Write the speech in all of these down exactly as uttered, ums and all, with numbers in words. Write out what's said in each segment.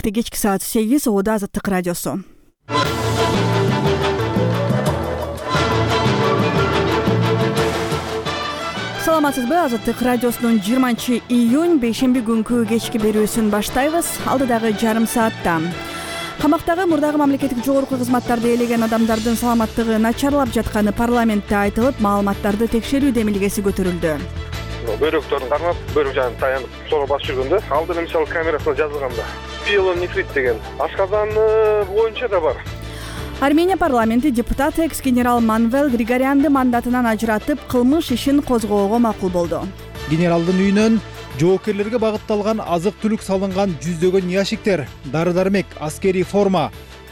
Саатта кечки саат сегиз Ода Азаттык радиосу. Саламатсызбы? Азаттык радиосунун жыйырманчы июнь бейшемби күнкү кечки берүүсүн баштайбыз. Алдыдагы жарым саатта камактагы мурдагы мамлекеттик жогорку кызматтарды ээлеген адамдардын саламаттыгы начарлап жатканы парламентте айтылып, маалыматтарды текшерүү демилгеси көтөрүлдү. Бөйрөктөрүн кармап, бөйрөк жагын таянып, sonra басып жүргөндө алдыда мисалы камерасына жазылган да. Пиелонефрит деген ашказан боюнча да бар. Армения парламенти депутат экс-генерал Манвел Григорянды мандатынан ажыратып, кылмыш ишин козгоого макул болду. Генералдын үйүнөн жоокерлерге багытталган азык-түлүк салынган жүздөгөн ящиктер, дары-дармек, аскерий форма,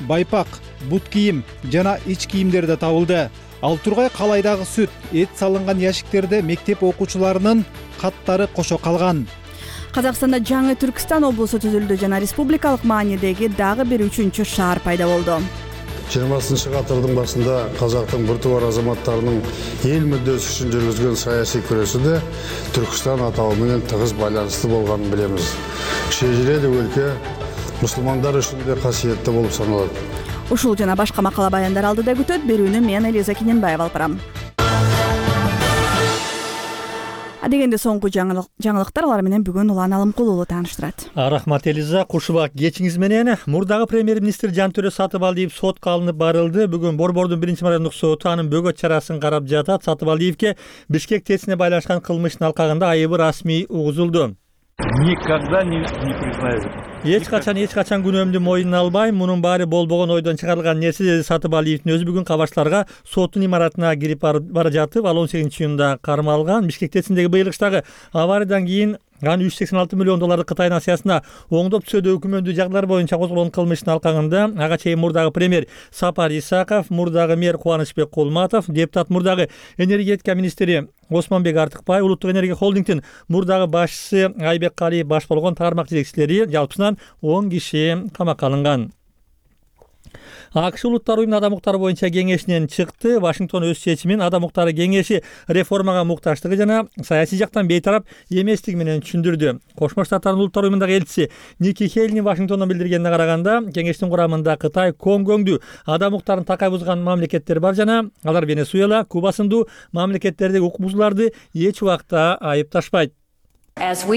байпак, бут кийим жана ич кийимдер да табылды. Ал тургай калайдагы сүт, эт салынган ящиктерде мектеп окуучуларынын каттары кошо калган. Казакстанда жаңы Түркстан облусу түзүлдү жана республикалык маанидеги дагы бир үчүнчү шаар пайда болду. жыйырмасынчы катырдын башында казактын бир тубар азаматтарынын эл мүддөсү үчүн жүргүзгөн саясий күрөшүдө Түркстан атауы менен тыгыз байланыштуу болгонун билебиз. Шежире өлкө мусулмандар үчүн да касиеттүү болуп саналат. Ушул жана башка макала баяндар алдыда күтөт. Берүүнү мен Элиза Кененбаева алып барам. Адегенде соңку жаңылыктар алар менен бүгүн Улан Алымкулуулу тааныштырат. Рахмат Элиза, кушубак кечиңиз менен. Мурдагы премьер-министр Жантөрө Сатыбалдиев сотко алынып барылды. Бүгүн Борбордун биринчи райондук соту анын бөгөт чарасын карап жатат. Сатыбалдиевке Бишкек ТЭЦине байланышкан кылмыштын алкагында айыбы расмий угузулду. Никогда не, не признаю. Эч качан эч качан күнөөмдү мойнуна албайм. Мунун баары болбогон ойдон чыгарылган нерсе, деди Сатыбалиевдин өзү бүгүн кабарчыларга соттун имаратына кирип бара жатып, ал он сегизинчи июнда кармалган. Бишкек ТЭЦиндеги быйыл кыштагы авариядан кийин аны үч жүз сексен алты миллион долларды Кытай насыясына оңдоп түзүүдө өкмөндүү жагдайлар боюнча козголгон кылмыштын алкагында ага чейин мурдагы премьер Сапар Исаков, мурдагы мэр Кубанычбек Кулматов, депутат мурдагы энергетика министри Осмонбек Артыкбай, улуттук энергия холдингдин мурдагы башчысы Айбек Калиев баш болгон тармак жетекчилери жалпысынан он киши камакка алынган. АКШ улуттар уюмунун адам укуктары боюнча кеңешинен чыкты. Вашингтон өз чечимин адам укуктары кеңеши реформага мукташтыгы жана саясий жактан бейтарап эместиги менен түшүндүрдү. Кошмо Штаттардын улуттар уюмундагы элчиси Ники Хейли Вашингтондон билдиргенине караганда, кеңештин курамында Кытай, Конгоңду адам укуктарын такай бузган мамлекеттер бар жана алар Венесуэла, Куба сындуу мамлекеттердеги укук бузууларды эч убакта айыпташпайт. Кошмо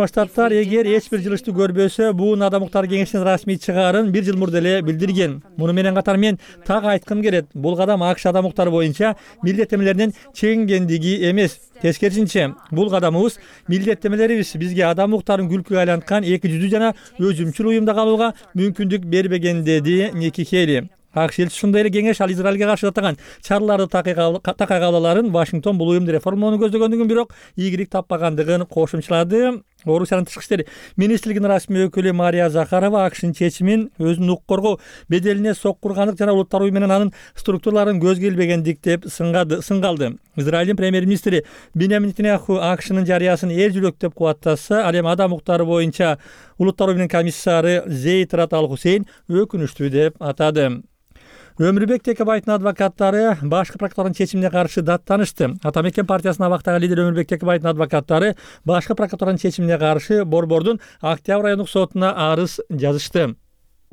Штаттар эгер эч бир жылышты көрбөсө, бул адам укуктары кеңешинин расмий чыгаарын бир жыл мурда эле билдирген. Муну менен катар мен так айткым келет. Бул кадам АКШ адам укуктары боюнча милдеттемелеринин чегингендиги эмес. Тескерисинче, бул кадамыбыз милдеттемелерибиз бизге адам укуктарын күлкүгө айланткан эки жүздүү жана өзүмчүл уюмда калууга мүмкүндүк бербеген, деди Ники Хейли. АКШ элчиси ушундай эле кеңеш ал Израилге каршы жасаган чараларды такай кабыл аларын, Вашингтон бул уюмду реформалоону көздөгөндүгүн, бирок ийгилик таппагандыгын кошумчалады. Орусиянын тышкы иштер министрлигинин расмий өкүлү Мария Захарова АКШнын чечимин өзүнүн укук коргоо беделине соккургандык жана улуттар уюму менен анын структураларын көзгө илбегендик деп сынгалды. Израилдин премьер-министри Биньямин Нетаньяху АКШнын жарыясын эл жүлөктөп кубаттаса, ал эми адам укуктары боюнча улуттар уюмунун комиссары Зейд Рат Ал Хусейн өкүнүчтүү деп атады. Өмүрбек Текебаевдин адвокаттары башкы прокуратуранын чечимине каршы даттанышты. Ата Мекен партиясынын абактагы лидери Өмүрбек Текебаевдин адвокаттары башкы прокуратуранын чечимине каршы Борбордун Октябрь райондук сотуна арыз жазышты.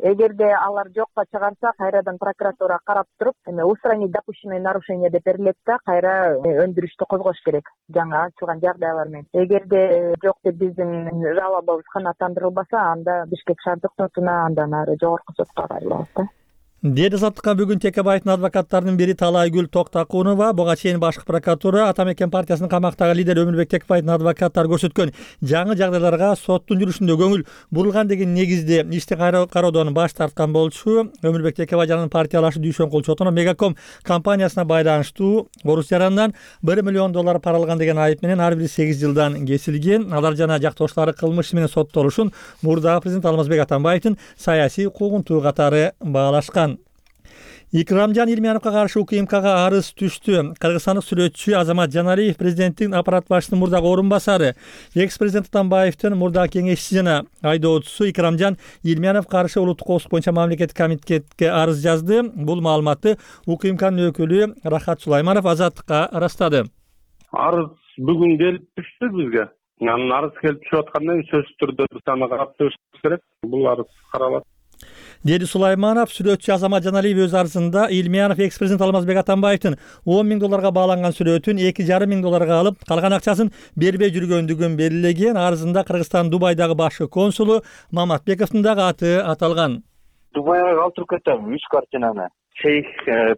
Эгерде алар жокко чыгарса, кайрадан прокуратура карап туруп, эми устранить допущенное нарушение деп берилет да, кайра өндүрүштү козгош керек жаңы ачылган жагдайлар менен. Эгерде жок деп биздин жалобубуз канааттандырылбаса, анда Бишкек шаардык сотуна, андан ары жогорку сотко кайрылабыз да. Деди Азаттыкка бүгүн Текебаевдин адвокаттарынын бири Талайгүл Токтакунова. Буга чейин башкы прокуратура Ата Мекен партиясынын камактагы лидери Өмүрбек Текебаевдин адвокаттары көрсөткөн жаңы жагдайларга соттун жүрүшүндө көңүл бурулган деген негизде ишти кароодон баш тарткан болчу. Өмүрбек Текебаев жанын партиялашы Дүйшөн Кулчотуна Мегаком компаниясына байланыштуу Орус жаранынан бир миллион доллар пара алган деген айып менен ар бири сегиз жылдан кесилген. Алар жана жактоошулары кылмыш менен соттолушун мурдагы президент Алмазбек Атамбаевдин саясий укугунтуу катары баалашкан. Икрамжан Илмияновго каршы УКМКга арыз түштү. Кыргызстандык сүрөтчү Азамат Жаналиев президенттин аппарат башчысынын мурдагы орун басары, экс-президент Атамбаевдин мурдагы кеңешчиси жана айдоочусу Икрамжан Илмиянов каршы улуттук коопсуздук боюнча мамлекеттик комитетке арыз жазды. Бул маалыматты УКМКнын өкүлү Рахат Сулайманов Азаттыкка ырастады. Арыз бүгүн келип түштү бизге. Анын арыз келип түшүп аткандан кийин сөзсүз түрдө биз аны карап чыгышыбыз керек. Бул арыз каралат, деди Сулайманов. Сүрөтчү Азамат Жаналиев өз арызында Илмиянов экс-президент Алмазбек Атамбаевдин он миң долларга бааланган сүрөтүн эки жарым миң долларга алып, калган акчасын бербей жүргөндүгүн белгилеген. Арызында Кыргызстан Дубайдагы башкы консулу Маматбековдун дагы аты аталган. Дубайга калтырып кетем үч картинаны. Шейх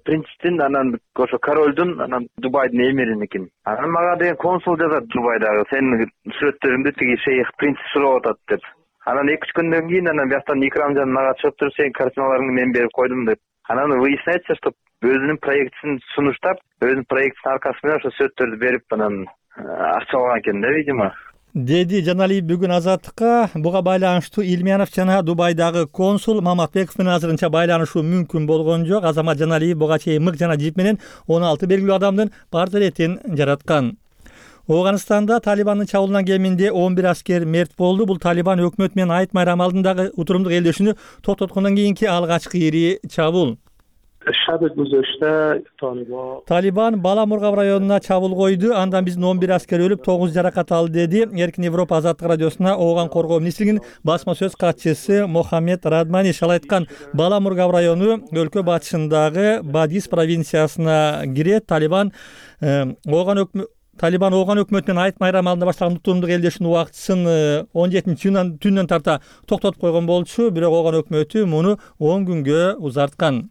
принцтин, анан ошо королдун, анан Дубайдын эмириники. Анан мага деген консул жазат Дубайдагы, сенин сүрөттөрүңдү тиги шейх принц сурап атат деп. Анан эки үч күндөн кийин анан бияктан Икрамжан мага чыгып туруп, сенин картиналарыңды мен берип койдум деп. Анан выясняется, что өзүнүн проектисин сунуштап, өзүнүн проектисинин аркасы менен ошо сүрөттөрдү берип, анан акча алган экен да, видимо. Деди Жаналиев бүгүн Азаттыкка. Буга байланыштуу Илмиянов жана Дубайдагы консул Маматбеков менен азырынча байланышуу мүмкүн болгон жок. Азамат Жаналиев буга чейин мык жана жип менен он алты белгилүү адамдын портретин жараткан. Ооганстанда Талибандын чабуулунан кеминде он бир аскер мерт болду. Бул Талибан өкмөт менен Айт майрамы алдындагы утурумдук элдешүүнү токтоткондон кийинки алгачкы ири чабуул. Талибан Бала Мургаб районуна чабуул койду. Андан биздин он бир аскер өлүп, тогуз жаракат алды, деди Эркин Европа Азаттык радиосуна Ооган коргоо министрлигинин басма сөз катчысы Мохаммед Радмани. Ал айткан, Бала Мургаб району өлкө батышындагы Бадис провинциясына кирет. Талибан Ооган өкмөт Талибан Ооган өкмөтүнүн Айт майрамы алдында баштаган утурумдук элдешүүнүн убактысын он жетинчи түндөн тарта токтотуп койгон болчу, бирок Ооган өкмөтү муну он күнгө узарткан.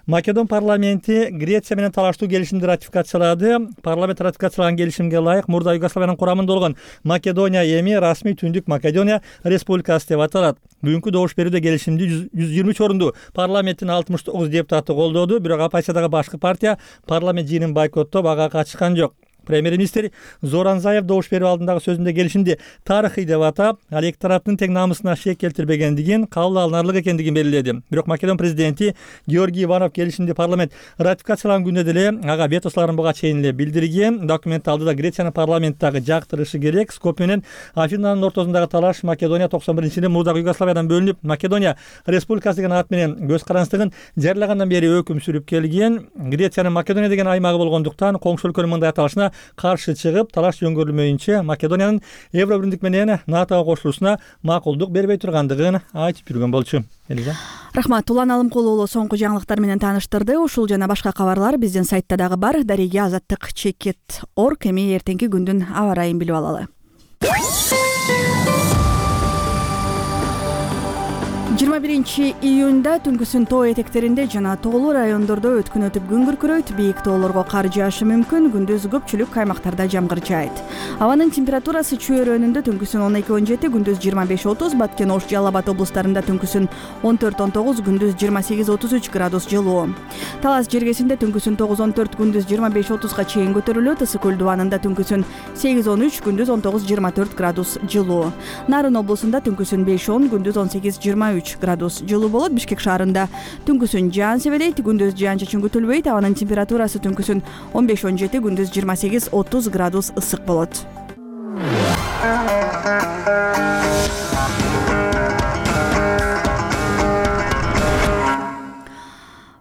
Македон парламенти Греция менен талаштуу келишимди ратификациялады. Парламент ратификациялаган келишимге ылайык мурда Югославиянын курамында болгон Македония эми расмий Түндүк Македония Республикасы деп аталат. Бүгүнкү добуш берүүдө келишимди жүз жыйырма үч орунду парламенттин алтымыш тогуз депутаты колдоду, бирок оппозициядагы башкы партия парламент жыйынын бойкоттоп ага катышкан жок. Премьер-министр Зоран Заев добуш берүү алдындагы сөзүндө келишимди тарыхый деп атап, ал эки тараптын тең намысына шек келтирбегендигин, кабыл алынарлык экендигин белгиледи. Бирок Македон президенти Георгий Иванов келишимди парламент ратификациялаган күндө деле ага ветосуларын буга чейин эле билдирген. Документ алдыда Грециянын парламенттагы жактырышы керек. Скопье менен Афинанын ортосундагы талаш Македония токсон биринчи жылы мурдагы Югославиядан бөлүнүп, Македония Республикасы деген ат менен көз карандысыздыгын жарыялагандан бери өкүм сүрүп келген. Грециянын Македония деген аймагы болгондуктан коңшу өлкөнүн мындай аталышына каршы чыгып, талаш жөнгөрүлмөйүнчө Македониянын Евробиримдик менен НАТОго кошулуусуна макулдук бербей тургандыгын айтып жүргөн болчу. Элиза. Рахмат. Улан Алымкулу уулу соңку жаңылыктар менен тааныштырды. Ушул жана башка кабарлар биздин сайтта дагы бар. Дареге азаттык чекит точка орг. Эми эртеңки күндүн аба ырайын билип алалы. жыйырма биринчи июнда түнкүсүн тоо этектеринде жана тоолуу райондордо өткүн өтүп күн күркүрөйт. Бийик тоолорго кар жаашы мүмкүн. Күндүз көпчүлүк аймактарда жамгыр жаайт. Абанын температурасы чөйрөнүндө түнкүсүн он эки он жети, күндүз жыйырма беш отуз, Баткен, Ош, Жалал Абад облустарында түнкүсүн он төрт он тогуз, күндүз жыйырма сегиз отуз үч градус жылуу. Талас жергесинде түнкүсүн тогуз он төрт, күндүз жыйырма беш отузга чейин көтөрүлөт. Ысык көл дубанында түнкүсүн сегиз он үч, күндүз он тогуз жыйырма төрт градус жылуу. Нарын облусунда түнкүсүн беш он, күндүз он сегиз жыйырма үч градус жылуу болот. Бишкек шаарында түнкүсүн жаан себелейт, күндүз жаан чачын күтүлбөйт. Абанын температурасы түнкүсүн он беш он жети, күндүз жыйырма сегиз отуз градус ысык болот.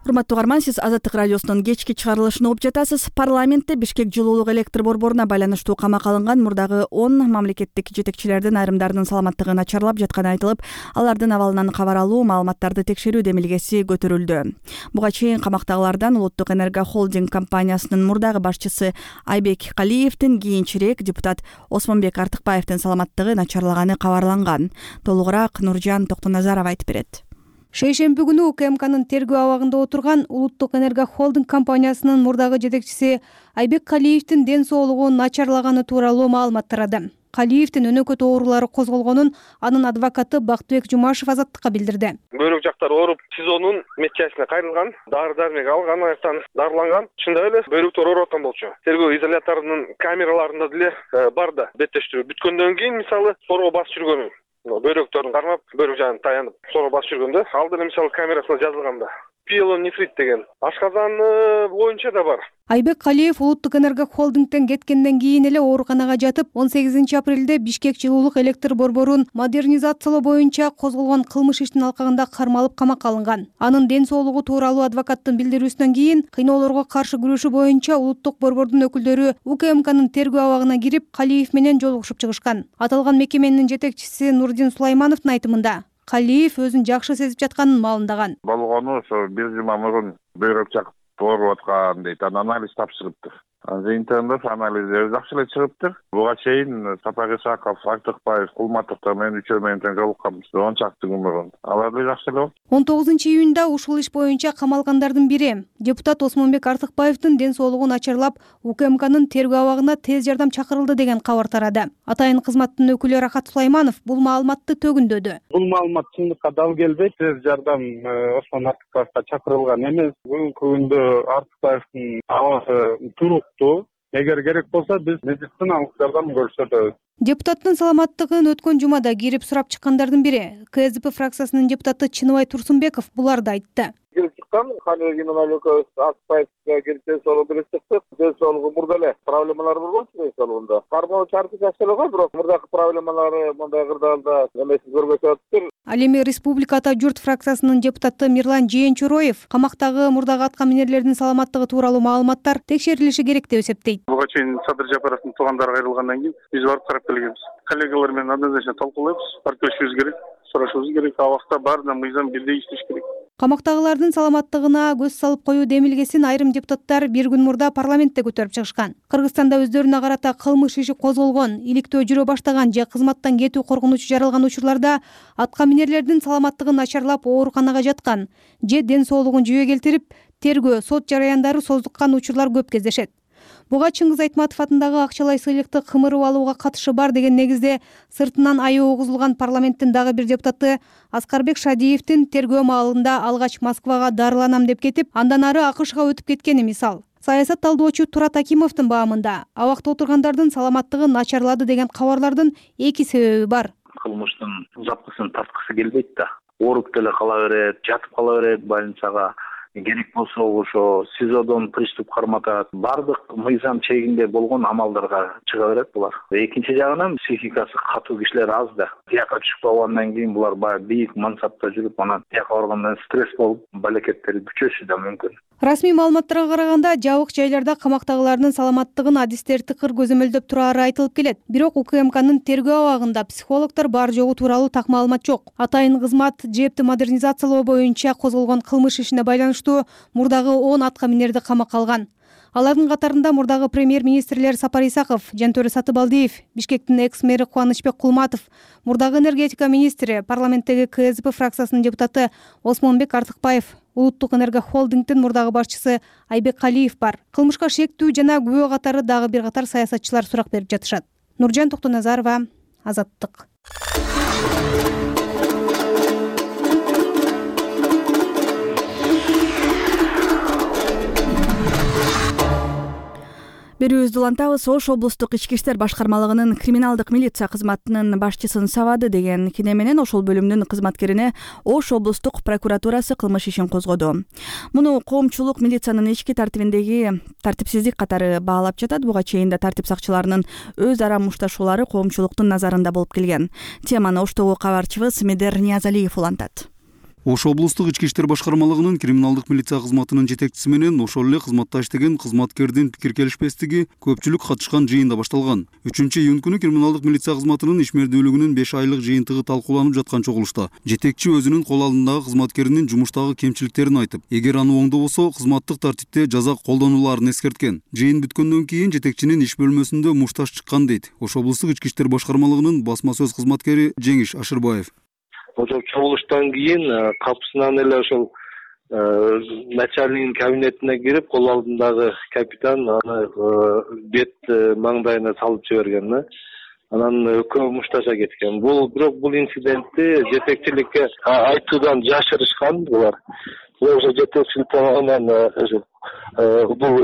Урматтуу угарман, сиз Азаттык радиосунун кечки чыгарылышын угуп жатасыз. Парламентте Бишкек жылуулук электр борборуна байланыштуу камакка алынган мурдагы он мамлекеттик жетекчилердин айрымдарынын саламаттыгы начарлап жатканы айтылып, алардын абалынан кабар алуу, маалыматтарды текшерүү демилгеси көтөрүлдү. Буга чейин камактагылардан Улуттук энерго холдинг компаниясынын мурдагы башчысы Айбек Калиевдин, кийинчерээк депутат Осмонбек Артыкбаевдин саламаттыгы начарлаганы кабарланган. Толугураак Нуржан Токтоназаров айтып берет. Шейшемби күнү УКМКнын тергөө абагында отурган Улуттук энерго холдинг компаниясынын мурдагы жетекчиси Айбек Калиевдин ден соолугу начарлаганы тууралуу маалымат тарады. Калиевдин өнөкөт оорулары козголгонун анын адвокаты Бактыбек Жумашев Азаттыкка билдирди. Бөйрөк жактары ооруп, СИЗОнун медчасына кайрылган, дары-дармек алган, аяктан дарыланган. Чындап эле бөйрөктөр ооруп аткан болчу. Тергөө изоляторунун камераларында деле бар да. Беттештирүү бүткөндөн кийин мисалы сорго басып жүргөнү, бөйрөктөрүн кармап, бөйрөк жагын таянып, сорго басып жүргөндө ал деле мисалы камерасына жазылган да. пиелонефрит деген ашказан боюнча да бар. Айбек Калиев улуттук энерго холдингден кеткенден кийин эле ооруканага жатып, он сегизинчи апрелде Бишкек жылуулук электр борборун модернизациялоо боюнча козголгон кылмыш иштин алкагында кармалып камакка алынган. Анын ден соолугу тууралуу адвокаттын билдирүүсүнөн кийин кыйноолорго каршы күрөшүү боюнча улуттук борбордун өкүлдөрү УКМКнын тергөө абагына кирип, Калиев менен жолугушуп чыгышкан. Аталган мекеменин жетекчиси Нурдин Сулаймановдун айтымында, Калиев өзүн жакшы сезип жатканын маалымдаган. Болгону ошо бир жума мурун бөйрөк чакып ооруп аткан дейт. Анан анализ тапшырыптыр. Жыйынтыгында анализдери жакшы эле чыгыптыр. Буга чейин Сапар Исаков, Артыкбаев, Кулматовдор менен үчөө менен тең жолукканбыз. он чакты күн мурун. Алар да жакшы эле болду. он тогузунчу июнда ушул иш боюнча камалгандардын бири депутат Осмонбек Артыкбаевдин ден соолугу начарлап, УКМКнын тергөө абагына тез жардам чакырылды деген кабар тарады. Атайын кызматтын өкүлү Рахат Сулайманов бул маалыматты төгүндөдү. Бул маалымат чындыкка дал келбейт. Тез жардам Осмон Артыкбаевга чакырылган эмес. Бүгүнкү күндө Артыкбаевдин абасы туруктуу. Эгер керек болсо биз медициналык жардам көрсөтөбүз. Депутаттын саламаттыгын өткөн жумада кирип сурап чыккандардын бири КСДП фракциясынын депутаты Чыныбай Турсунбеков буларды айтты. Кирип чыккан Калиев Геннадий экөөбүз Артыкбаевге кирип ден соолугу берип чыктык. Ден соолугу мурда эле проблемалар болчу ден соолугунда. Кармоо чарты жакшы эле го, бирок мурдакы проблемалары мындай кырдаалда эмесин көрбөй атыптыр. Ал эми Республика Ата журт фракциясынын депутаты Мирлан Жээнчуроев камактагы мурдагы атка минерлердин саламаттыгы тууралуу маалыматтар текшерилиши керек деп эсептейт. Буга чейин Садыр Жапаровдун туугандары кайрылгандан кийин биз барып карап келгенбиз. Коллегалар менен однозначно талкуулайбыз, барып керек, сурашыбыз керек. Абакта баарына мыйзам бирдей иштеш керек. Камактагылардын саламаттыгына көз салып коюу демилгесин айрым депутаттар бир күн мурда парламентте көтөрүп чыгышкан. Кыргызстанда өздөрүнө карата кылмыш иши козголгон, иликтөө жүрө баштаган же кызматтан кетүү коркунучу жаралган учурларда атка минерлердин саламаттыгын начарлап ооруканага жаткан же ден соолугун жүйө келтирип, тергөө, сот жараяндары создуккан учурлар көп кездешет. Буга Чыңгыз Айтматов атындагы акчалай сыйлыкты кымырып алууга катышы бар деген негизде сыртынан айоо угузулган парламенттин дагы бир депутаты Аскарбек Шадиевдин тергөө маалында алгач Москвага дарыланам деп кетип, андан ары АКШга өтүп кеткени мисал. Саясат талдоочу Турат Акимовдун баамында абакта отургандардын саламаттыгы начарлады деген кабарлардын эки себеби бар. Кылмыштын запкысын тарткысы келбейт да. Ооруп деле кала берет, жатып кала берет больницага. Керек болсо ошо СИЗОдон приступ карматат. Бардык мыйзам чегинде болгон амалдарга чыга берет булар. Экинчи жагынан психикасы катуу кишилер аз да. Тияка түшүп калгандан кийин булар баягы бийик мансапта жүрүп, анан тияка баргандан стресс болуп, балекеттери бүчөшү да мүмкүн. Расмий маалыматтарга караганда жабык жайларда камактагылардын саламаттыгын адистер тыкыр көзөмөлдөп турары айтылып келет. Бирок УКМКнын тергөө абагында психологдор бар жогу тууралуу так маалымат жок. Атайын кызмат ЖЭБти модернизациялоо боюнча козголгон кылмыш ишине байланыштуу мурдагы он атка минерди камакка алган. Алардын катарында мурдагы премьер-министрлер Сапар Исаков, Жантөрө Сатыбалдиев, Бишкектин экс-мэри Кубанычбек Кулматов, мурдагы энергетика министри, парламенттеги КСДП фракциясынын депутаты Осмонбек Артыкбаев, улуттук энерго холдингдин мурдагы башчысы Айбек Калиев бар. Кылмышка шектүү жана күбө катары дагы бир катар саясатчылар сурак берип жатышат. Нуржан Токтоназарова, Азаттык. Берүүбүздү улантабыз. Ош облустук ички иштер башкармалыгынын криминалдык милиция кызматынын башчысын сабады деген кине менен ошол бөлүмдүн кызматкерине Ош облустук прокуратурасы кылмыш ишин козгоду. Муну коомчулук милициянын ички тартибиндеги тартипсиздик катары баалап жатат. Буга чейин да тартип сакчыларынын өз ара мушташуулары коомчулуктун назарында болуп келген. Теманы Оштогу кабарчыбыз Медер Ниязалиев улантат. Ош облустук ички иштер башкармалыгынын криминалдык милиция кызматынын жетекчиси менен ошол эле кызматта иштеген кызматкердин пикир келишпестиги көпчүлүк катышкан жыйында башталган. үчүнчү июнь күнү криминалдык милиция кызматынын ишмердүүлүгүнүн беш айлык жыйынтыгы талкууланып жаткан чогулушта жетекчи өзүнүн кол алдындагы кызматкеринин жумуштагы кемчиликтерин айтып, эгер аны оңдобосо кызматтык тартипте жаза колдонулаарын эскерткен. Жыйын бүткөндөн кийин жетекчинин иш бөлмөсүндө мушташ чыккан дейт Ош облустук ички иштер башкармалыгынын басма сөз кызматкери Жеңиш Ашырбаев. Ошол чогулуштан кийин капысынан эле ошол начальниктин кабинетине кирип, кол алдындагы капитан аны бет маңдайына салып жиберген да. Анан экөө мушташа кеткен. Бул бирок бул инцидентти жетекчиликке айтуудан жашырышкан булар. Ошо жетекчилик анан бул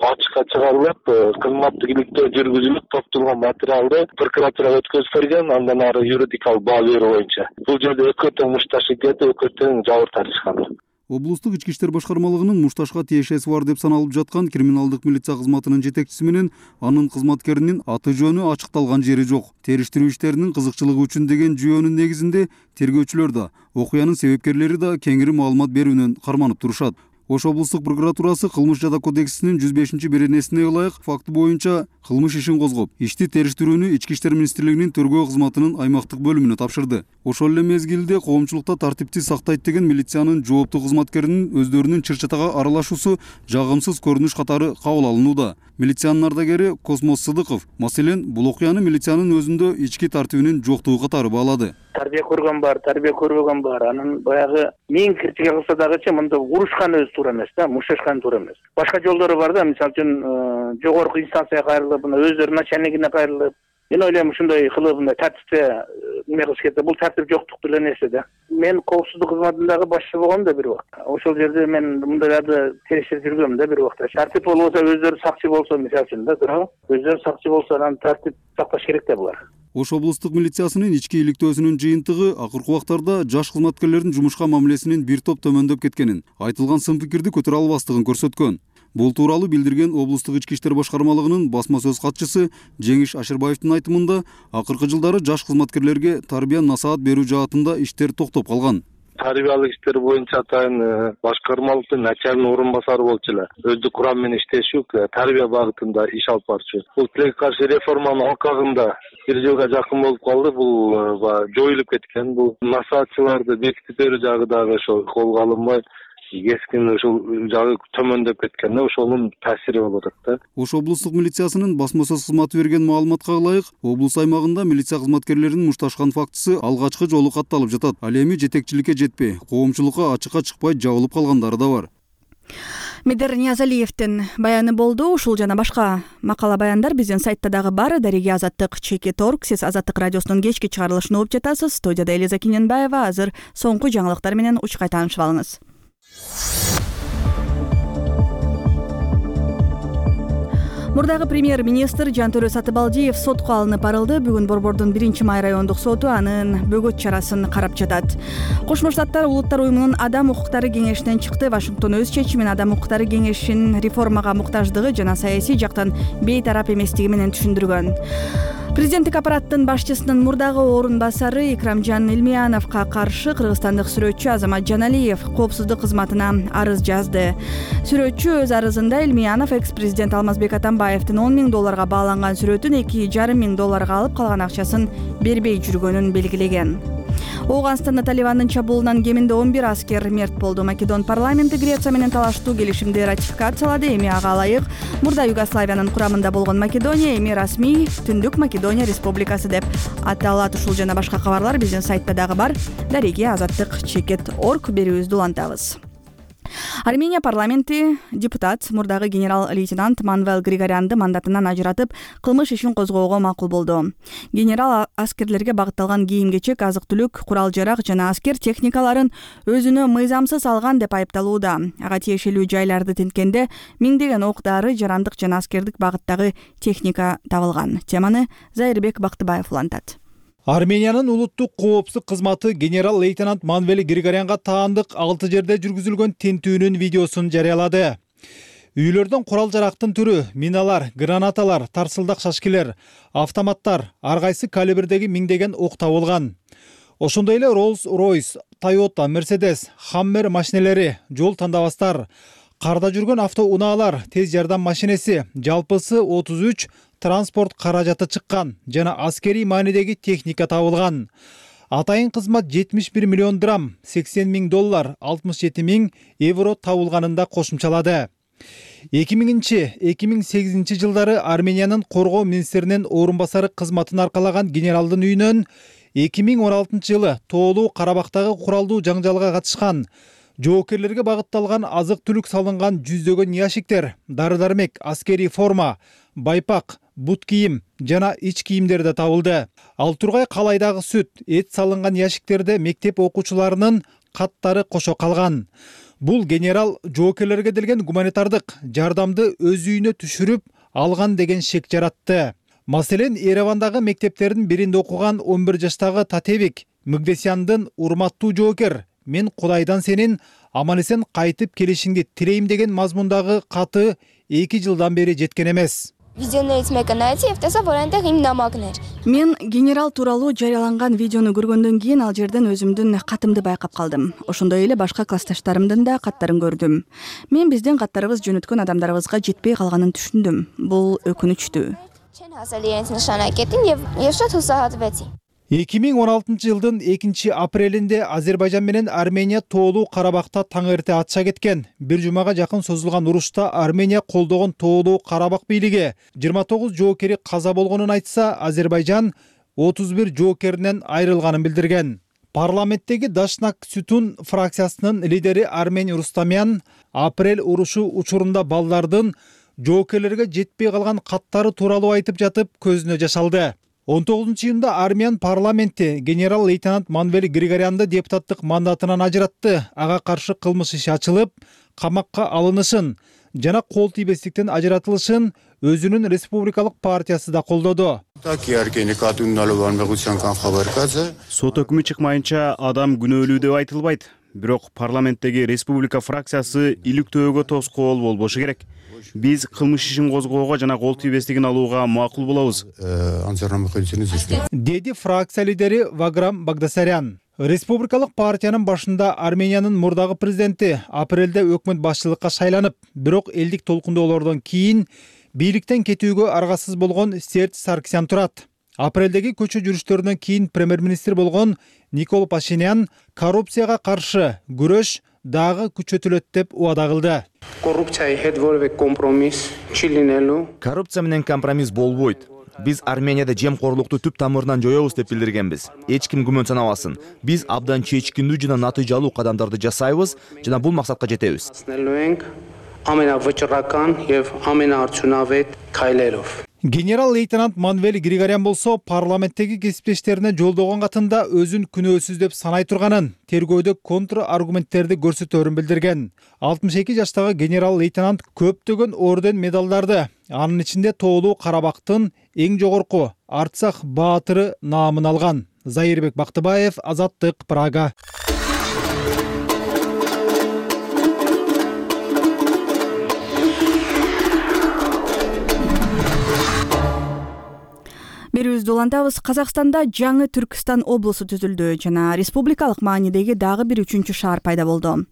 ачыкка чыгарылып, кызматтык иликтөө жүргүзүлүп, топтолгон материалды прокуратурага өткөзүп берген, андан ары юридикалык баа берүү боюнча. Бул жерде экөө тең мушташып кетип, экөө тең жабыр тартышкан. облустук ички иштер башкармалыгынын мушташка тиешеси бар деп саналып жаткан криминалдык милиция кызматынын жетекчиси менен анын кызматкеринин аты жөнү ачыкталган жери жок. Териштирүү иштеринин кызыкчылыгы үчүн деген жүйөнүн негизинде тергөөчүлөр да, окуянын себепкерлери да кеңири маалымат берүүнөн карманып турушат. Ош облустук прокуратурасы кылмыш жада кодексинин жүз бешинчи беренесине ылайык факты боюнча кылмыш ишин козгоп, ишти териштирүүнү Ички иштер министрлигинин тергөө кызматынын аймактык бөлүмүнө тапшырды. Ошол эле мезгилде коомчулукта тартипти сактайт деген милициянын жооптуу кызматкеринин өздөрүнүн чыр-чатага аралашуусу жагымсыз көрүнүш катары кабыл алынууда. Милициянын ардагери Космос Сыдыков, маселен, бул окуяны милициянын өзүндө ички тартибинин жоктугу катары баалады. Тарбия көргөн бар, тарбия көрбөгөн бар. Анын баягы миң критика кылса дагычы мында урушкан өзү туура эмес да, мушташкан туура эмес. Башка жолдору бар да, мисалы үчүн жогорку инстанцияга кайрылып, мына өздөрүнүн начальнигине кайрылып, мен ойлойм ушундай кылып мындай тартипте неме кылыш керек да. Бул тартип жоктук деле нерсе да. Мен коопсуздук кызматындагы башчы болгом да бир убакт. Ошол жерде мен мындайларды териштирип жүргөм да бир убакта. Тартип болбосо өздөрү сакчы болсо, мисалы үчүн да, туурабы? Өздөрү сакчы болсо, анан тартип сакташ керек да булар. Ош облустук милициясынын ички иликтөөсүнүн жыйынтыгы акыркы убактарда жаш кызматкерлердин жумушка мамилесинин бир топ төмөндөп кеткенин, айтылган сын пикирди көтөрө албастыгын көрсөткөн. Бул тууралуу билдирген облустук ички иштер башкармалыгынын басма сөз катчысы Жеңиш Ашырбаевдин айтымында, акыркы жылдары жаш кызматкерлерге тарбия насаат берүү жаатында иштер токтоп калган. Тарбиялык иштер боюнча атайын башкармалыктын начальный орун басары болчу эле. Өздүк курам менен иштешүк, тарбия багытында иш алып барчу. Бул тилекке каршы реформанын алкагында бир жылга жакын болуп калды. Бул жоюлуп кеткен. Бул насаатчыларды бекитип берүү жагы дагы ошо колго алынбай, кескин ушул жагы төмөндөп кеткен. Ошонун таасири болуп атат да. Ош облустук милициясынын басма сөз кызматы берген маалыматка ылайык, облус аймагында милиция кызматкерлеринин мушташкан фактысы алгачкы жолу катталып жатат. Ал эми жетекчиликке жетпей, коомчулукка ачыкка чыкпай жабылып калгандары да бар. Медер Ниязалиевдин баяны болду. Ушул жана башка макала баяндар биздин сайтта дагы бар. Дареги Азаттык чекит точка орг. Сиз Азаттык радиосунун кечки чыгарылышын угуп жатасыз. Студияда Элиза Киненбаева. Азыр соңку жаңылыктар менен учкай таанышып алыңыз. Мурдагы премьер-министр Жантөрө Сатыбалдиев сотко алынып барылды. Бүгүн Борбордун биринчи май райондук соту анын бөгөт чарасын карап жатат. Кошмо Штаттар Улуттар уюмунун Адам укуктары кеңешинен чыкты. Вашингтон өз чечимин Адам укуктары кеңешинин реформага муктаждыгы жана саясий жактан бейтарап эместиги менен түшүндүргөн. Президенттик аппараттын башчысынын мурдагы орун басары Икрамжан Илмияновго каршы кыргызстандык сүрөтчү Азамат Жаналиев коопсуздук кызматына арыз жазды. Сүрөтчү өз арызында Илмиянов экс-президент Алмазбек Атамбаевдин он миң долларга бааланган сүрөтүн эки жарым миң долларга алып калган акчасын бербей жүргөнүн белгилеген. Ооганстанда Талибандын чабуулунан кеминде он бир аскер мерт болду. Македон парламенти Греция менен талаштуу келишимди ратификациялады. Эми ага ылайык мурда Югославиянын курамында болгон Македония эми расмий Түндүк Македония Республикасы деп аталат. Ушул жана башка кабарлар биздин сайтта дагы бар. Дареги Азаттык чекит точка орг берүүбүздү улантабыз. Армения парламенти депутат мурдагы генерал-лейтенант Манвел Григорянды мандатынан ажыратып, кылмыш ишин козгоого макул болду. Генерал аскерлерге багытталган кийим-кечек, азык-түлүк, курал-жарак жана аскер техникаларын өзүнө мыйзамсыз алган деп айыпталууда. Ага тиешелүү жайларды тинткенде миңдеген ок-дары, жарандык жана аскердик багыттагы техника табылган. Теманы Зайырбек Бактыбаев улантат. Армениянын улуттук коопсуздук кызматы генерал-лейтенант Манвел Григорянга таандык алты жерде жүргүзүлгөн тинтүүнүн видеосун жарыялады. Үйлөрдөн курал-жарактын түрү, миналар, гранаталар, тарсылдак шашкилер, автоматтар, ар кайсы калибрдеги миңдеген ок табылган. Ошондой эле Rolls-Royce, Toyota, Mercedes, Hammer машинелери, жол тандабастар, карда жүргөн автоунаалар, тез жардам машинеси, жалпысы отуз үч транспорт каражаты чыккан жана аскерий маанидеги техника табылган. Атайын кызмат жетимиш бир миллион драм, сексен миң доллар, алтымыш жети миң евро табылганында кошумчалады. эки миңинчи — эки миң сегизинчи жылдары Армениянын коргоо министринин орун басары кызматын аркалаган генералдын үйүнөн эки миң он алтынчы жылы Тоолуу Карабактагы куралдуу жаңжалга катышкан жоокерлерге багытталган азык-түлүк салынган жүздөгөн ящиктер, дары-дармек, аскерий форма, байпак, бут кийим жана ич кийимдер да табылды. Ал тургай калайдагы сүт, эт салынган ящиктерде мектеп окуучуларынын каттары кошо калган. Бул генерал жоокерлерге делген гуманитардык жардамды өз үйүнө түшүрүп алган деген шек жаратты. Маселен, Еревандагы мектептердин биринде окуган он бир жаштагы Татевик Магдесяндын урматтуу жоокер мен Кудайдан сенин аман эсен кайтып келишиңди тилейм деген мазмундагы каты эки жылдан бери жеткен эмес. Видеоներից мекը նայեցի եւ տեսա, որ այնտեղ իմ նամակն էր։ Мен генерал тууралуу жарыяланган видеону көргөндөн кийин ал жерден өзүмдүн катымды байкап калдым. Ошондой эле башка классташтарымдын да каттарын көрдүм. Мен биздин каттарыбыз жөнөткөн адамдарыбызга жетпей калганын түшүндүм. Бул өкүнүчтүү. Չեն հասել իրենց նշանակետին եւ եւ շատ հուսահատվեցի։ эки миң он алтынчы жылдын экинчи апрелинде Азербайжан менен Армения тоолуу Карабакта таң эрте атыша кеткен. Бир жумага жакын созулган урушта Армения колдогон тоолуу Карабак бийлиги жыйырма тогуз жоокери каза болгонун айтса, Азербайжан отуз бир жоокеринен айрылганын билдирген. Парламенттеги Дашнак Сүтун фракциясынын лидери Армен Рустамян апрель урушу учурунда балдардын жоокерлерге жетпей калган каттары тууралуу айтып жатып көзүнө жаш алды. он тогузунчу июнда Армян парламенти генерал-лейтенант Манвел Григорянды депутаттык мандатынан ажыратты. Ага каршы кылмыш иши ачылып, камакка алынышын жана кол тийбестиктен ажыратылышын өзүнүн республикалык партиясы да колдоду. Сот өкүмү чыкмайынча адам күнөөлүү деп айтылбайт. Бирок парламенттеги республика фракциясы иликтөөгө тоскоол болбошу керек. Биз кылмыш ишин козгоого жана кол тийбестигин алууга макул болобуз, деди фракция лидери Ваграм Багдасарян. Республикалык партиянын башында Армениянын мурдагы президенти апрелде өкмөт башчылыкка шайланып, бирок элдик толкундоолордон кийин бийликтен кетүүгө аргасыз болгон Серж Саркисян турат. Апрелдеги көчө жүрүштөрүнөн кийин премьер-министр болгон Никол Пашинян коррупцияга каршы күрөш дагы күчөтүлөт деп убада кылды. Коррупция менен компромисс болбойт. Биз Арменияда жемкорлукту түп тамырынан жоёбуз деп билдиргенбиз. Эч ким күмөн санабасын. Биз абдан чечкиндүү жана натыйжалуу кадамдарды жасайбыз жана бул максатка жетебиз. Генерал-лейтенант Манвел Григорян болсо парламенттеги кесиптештерине жолдогон катында өзүн күнөөсүз деп санай турганын, тергөөдө контр аргументтерди көрсөтөрүн билдирген. алтымыш эки жаштагы генерал-лейтенант көптөгөн орден медалдарды, анын ичинде тоолуу Карабактын эң жогорку Арцах баатыры наамын алган. Зайырбек Бактыбаев, Азаттык, Прага. Берүүбүздү улантабыз. Казакстанда жаңы Түркстан облусу түзүлдү жана республикалык маанидеги дагы бир үчүнчү шаар пайда болду.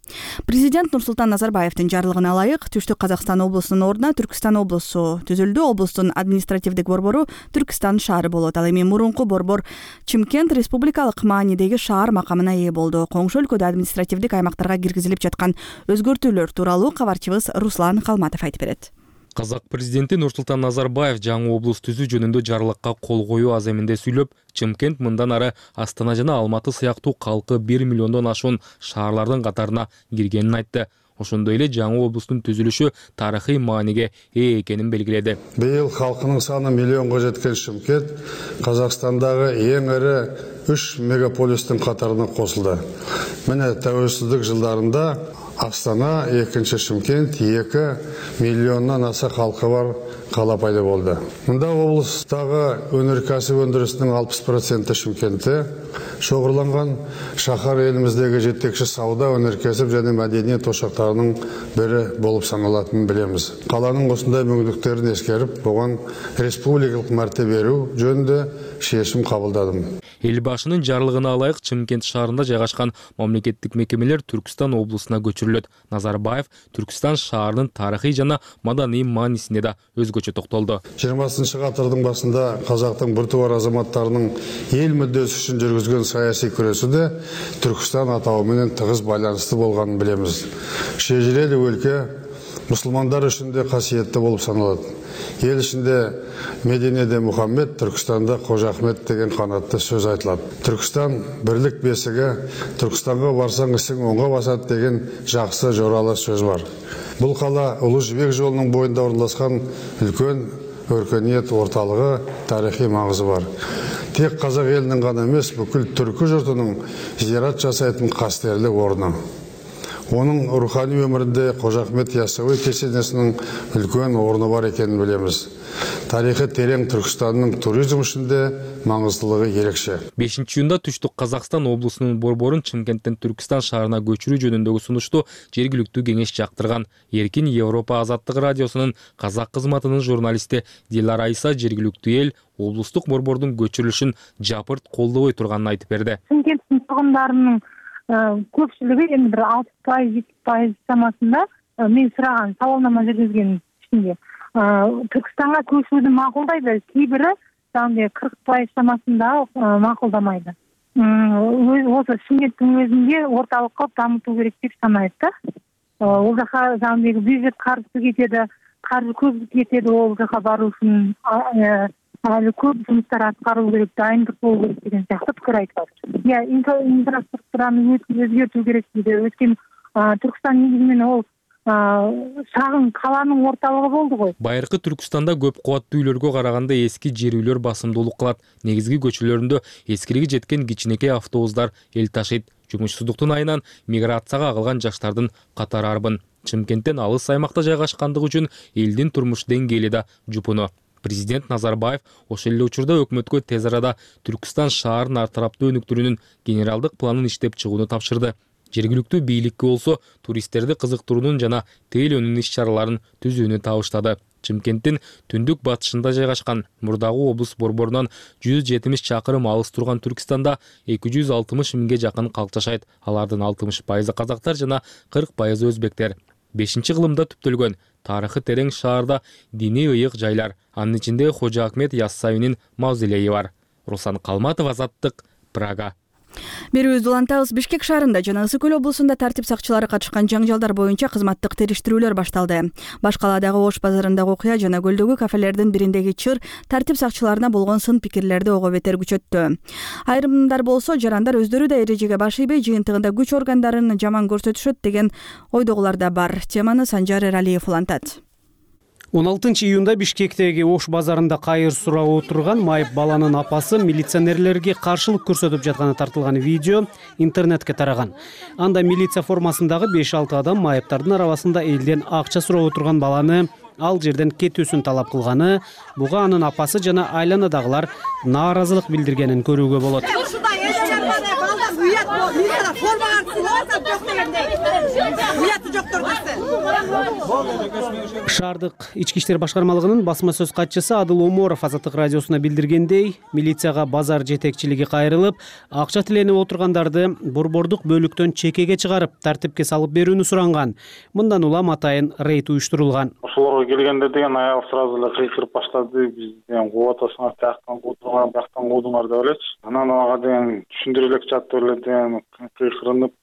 Президент Нурсултан Назарбаевдин жарлыгына ылайык Түштүк Казакстан облусунун ордуна Түркстан облусу түзүлдү. Облустун административдик борбору Түркстан шаары болот. Ал эми мурунку борбор Чымкент республикалык маанидеги шаар макамына ээ болду. Коңшу өлкөдө административдик аймактарга киргизилип жаткан өзгөртүүлөр тууралуу кабарчыбыз Руслан Калматов айтып берет. Казак президенти Нурсултан Назарбаев жаңы облус түзүү жөнүндө жарлыкка кол коюу аземинде сүйлөп, Чымкент мындан ары Астана жана Алматы сыяктуу калкы бир миллиондон ашуун шаарлардын катарына киргенин айтты. Ошондой эле жаңы облустун түзүлүшү тарыхый мааниге ээ экенин белгиледи. Быйыл халкынын саны миллионго жеткен Чымкент Казакстандагы эң ири үч мегаполистин катарына косулду. Мына тәуелсиздик жылдарында Астана, экинчи Чымкент, эки миллионнан аса халкы бар кала пайда болду. Мында облустагы өнөркәсип өндүрүсүнүн алпыс проценти Чымкентте чогурланган. Шахар элибиздеги жетекчи сауда, өнөркәсип жана мәдениет ошактарынын бири болуп саналатынын билебиз. Каланын ушундай мүмкүнлүктөрүн эскерип, буга республикалык мәртебе берүү жөнүндө чечим кабылдадым. Эл башынын жарлыгына ылайык Чымкент шаарында жайгашкан мамлекеттик мекемелер Түркстан облусуна көчүрүлөт. Назарбаев Түркстан шаарынын тарыхый жана маданий маанисине да өзгөчө токтолду. жыйырмасынчы гасырдын башында казактын бир тубар азаматтарынын эл мүддөсү үчүн жүргүзгөн саясий күрөшүдө Түркстан атабы менен тыгыз байланыштуу болгонун билебиз. Шежирелик өлкө мусулмандар үчүн да касиеттүү болуп саналат. Ел ішінде Мединеде Мухаммед, Түркістанда Қожа Ахмет деген қанатты сөз айтылады. Түркістан бірлік бесігі, Түркістанға барсаң ісің оңға басады деген жақсы жоралы сөз бар. Бұл қала Ұлы Жібек жолының бойында орналасқан үлкен өркениет орталығы, тарихи маңызы бар. Тек қазақ елінің ғана емес, бүкіл түркі жұртының зиярат жасайтын қастерлі орны. Оның рухани өмірінде Қожа Ахмет Яссауи кесенесінің үлкен орны бар екенін білеміз. Тарихы терең Түркістанның туризм ішінде маңыздылығы ерекше. бешинчи июнда Түштүк Казакстан облусунун борборун Чымкенттен Түркистан шаарына көчүрүү жөнүндөгү сунушту жергиликтүү кеңеш жактырган. Эркин Европа азаттык радиосунун казак кызматынын журналисти Дилара Айса жергиликтүү эл облустук борбордун көчүрүлүшүн жапырт колдобой турганын айтып берди. Чымкенттин тургундарынын көпчүлүгү эми бир алты пайыз жети пайыз чамасында мен сураган сабалнама жүргүзгөн ичинде Түркістанға көшүүнү макулдайды, кейбири жаңы кырк пайыз чамасында макулдамайды. Осы Чымкенттин өзүндө орталык кылып дамытуу керек деп санайт да. Ол жака жаңы бюджет каржысы кетеди, каржы көп кетеди, ол жака баруу үчүн әлі көп жұмыстар аткарылуу керек, дайындык болуу керек деген сыяктуу пикир айтылат. Я инфраструктураны өзгөртүү керек дейді. Өткөн Түркістан негизинен ол шағын қаланың орталығы болды ғой. Байыркы Түркістанда көп кубаттуу үйлөргө караганда эски жер үйлөр басымдуулук кылат. Негизги көчөлөрүндө эскириги жеткен кичинекей автобустар эл ташыйт. Жумушсуздуктун айынан миграцияга агылган жаштардын катары арбын. Чымкенттен алыс аймакта жайгашкандыгы үчүн элдин турмуш деңгээли да жупуну. Президент Назарбаев ошол эле учурда өкмөткө тез арада Түркістан шаарынын ар тараптуу өнүктүрүүнүн генералдык планын иштеп чыгууну тапшырды. Жергиликтүү бийликке болсо туристтерди кызыктыруунун жана тейлөөнүн иш-чараларын түзүүнү табыштады. Чымкенттин түндүк батышында жайгашкан мурдагы облус борборунан жүз жетимиш чакырым алыс турган Түркістанда эки жүз алтымыш миңге жакын калк жашайт. Алардын алтымыш пайызы казактар жана кырк пайызы өзбектер. бешинчи кылымда түптөлгөн тарыхы терең шаарда диний ыйык жайлар, анын ичинде Кожо Ахмет Яссауинин мавзолейи бар. Руслан Калматов, Азаттык, Прага. Берүүбүздү улантабыз. Бишкек шаарында жана Ысык көл облусунда тартип сакчылары катышкан жаңжалдар боюнча кызматтык териштирүүлөр башталды. Баш калаадагы Ош базарындагы окуя жана көлдөгү кафелердин бириндеги чыр тартип сакчыларына болгон сын пикирлерди ого бетер күчөттү. Айрымдар болсо жарандар өздөрү да эрежеге баш ийбей жыйынтыгында күч органдарын жаман көрсөтүшөт деген ойдогулар да бар. Теманы Санжар Эралиев улантат. он алтынчы июнда Бишкектеги Ош базарында кайыр сурап отурган майып баланын апасы милиционерлерге каршылык көрсөтүп жатканы тартылган видео интернетке тараган. Анда милиция формасындагы беш алты адам майыптардын арабасында элден акча сурап отурган баланы ал жерден кетүүсүн талап кылганы, буга анын апасы жана айланадагылар нааразылык билдиргенин көрүүгө болот. Шаардык ички иштер башкармалыгынын басма сөз катчысы Адыл Оморов Азаттык радиосуна билдиргендей, милицияга базар жетекчилиги кайрылып, акча тиленип отургандарды борбордук бөлүктөн чекеге чыгарып, тартипке салып берүүнү суранган. Мындан улам атайын рейд уюштурулган. Ошолорго келгенде деген аял сразу эле кыйкырып баштады. Бизден кууп атасыңар, тияктан куудуңар, бияктан куудуңар деп элечи. Анан ага деген түшүндүрө элек жатып эле деген кыйкырынып,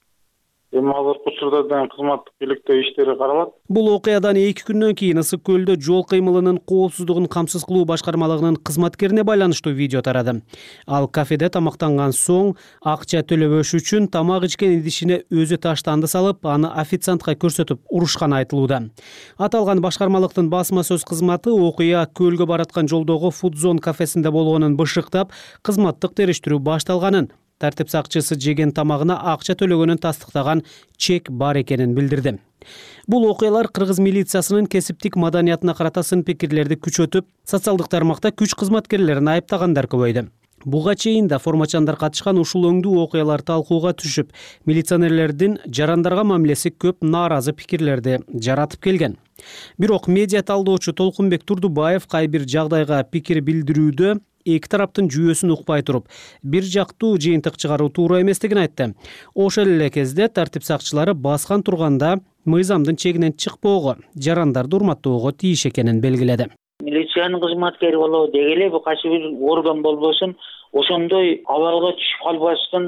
эми азыркы учурда деген кызматтык бийликте иштери каралат. Бул окуядан эки күндөн кийин Ысык көлдө жол кыймылынын коопсуздугун камсыз кылуу башкармалыгынын кызматкерине байланыштуу видео тарады. Ал кафеде тамактанган соң акча төлөбөш үчүн тамак ичкен идишине өзү таштанды салып, аны официантка көрсөтүп урушканы айтылууда. Аталган башкармалыктын басма сөз кызматы окуя көлгө бараткан жолдогу Фудзон кафесинде болгонун бышыктап, кызматтык териштирүү башталганын, тартип сакчысы жеген тамагына акча төлөгөнүн тастыктаган чек бар экенин билдирди. Бул окуялар кыргыз милициясынын кесиптик маданиятына карата сын пикирлерди күчөтүп, социалдык тармакта күч кызматкерлерин айыптагандар көбөйдү. Буга чейин да формачандар катышкан ушул өңдүү окуялар талкууга түшүп, милиционерлердин жарандарга мамилеси көп нааразы пикирлерди жаратып келген. Бирок медиа талдоочу Толкунбек Турдубаев кай бир жагдайга пикир билдирүүдө эки тараптын жүйөсүн укпай туруп, бир жактуу жыйынтык чыгаруу туура эместигин айтты. Ошол эле кезде тартип сакчылары баскан турганда мыйзамдын чегинен чыкпоого, жарандарды урматтоого тийиш экенин белгиледи. Милициянын кызматкери болобу дегеле, бул кайсы бир орган болбосун, ошондой абалга түшүп калбаштын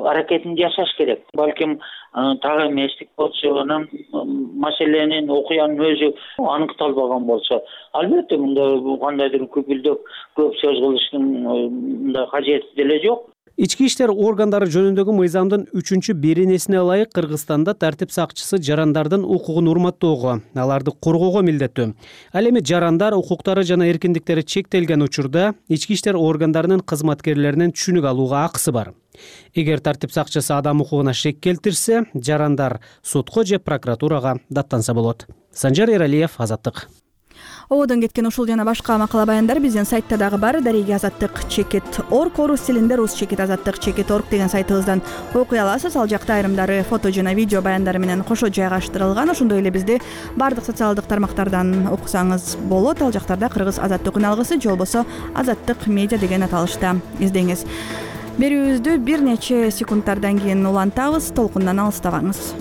аракетин жасаш керек. Балким тагы эместик болсо, анан маселенин окуянын өзү аныкталбаган болсо, албетте мында кандайдыр күпүлдөк көп сөз кылыштын мындай кажети деле жок. Ички иштер органдары жөнүндөгү мыйзамдын үчүнчү беренесине ылайык Кыргызстанда тартип сакчысы жарандардын укугун урматтоого, аларды коргоого милдеттүү. Ал эми жарандар укуктары жана эркиндиктери чектелген учурда ички иштер органдарынын кызматкерлеринен түшүнүк алууга акысы бар. Эгер тартип сакчысы адам укугуна шек келтирсе, жарандар сотко же прокуратурага даттанса болот. Санжар Эралиев, Азаттык. Ободон кеткен ушул жана башка макала баяндар биздин сайтта дагы бар. Дареги Азаттык чекит орг орус тилинде, рус чекит азаттык чекит орг деген сайтыбыздан окуй аласыз. Ал жакта айрымдары фото жана видео баяндары менен кошо жайгаштырылган. Ошондой эле бизди бардык социалдык тармактардан окусаңыз болот. Ал жактарда кыргыз азаттык үн алгысы же болбосо азаттык медиа деген аталышта издеңиз. Берүүбүздү бир нече секундтардан кийин улантабыз. Толкундан алыстабаңыз.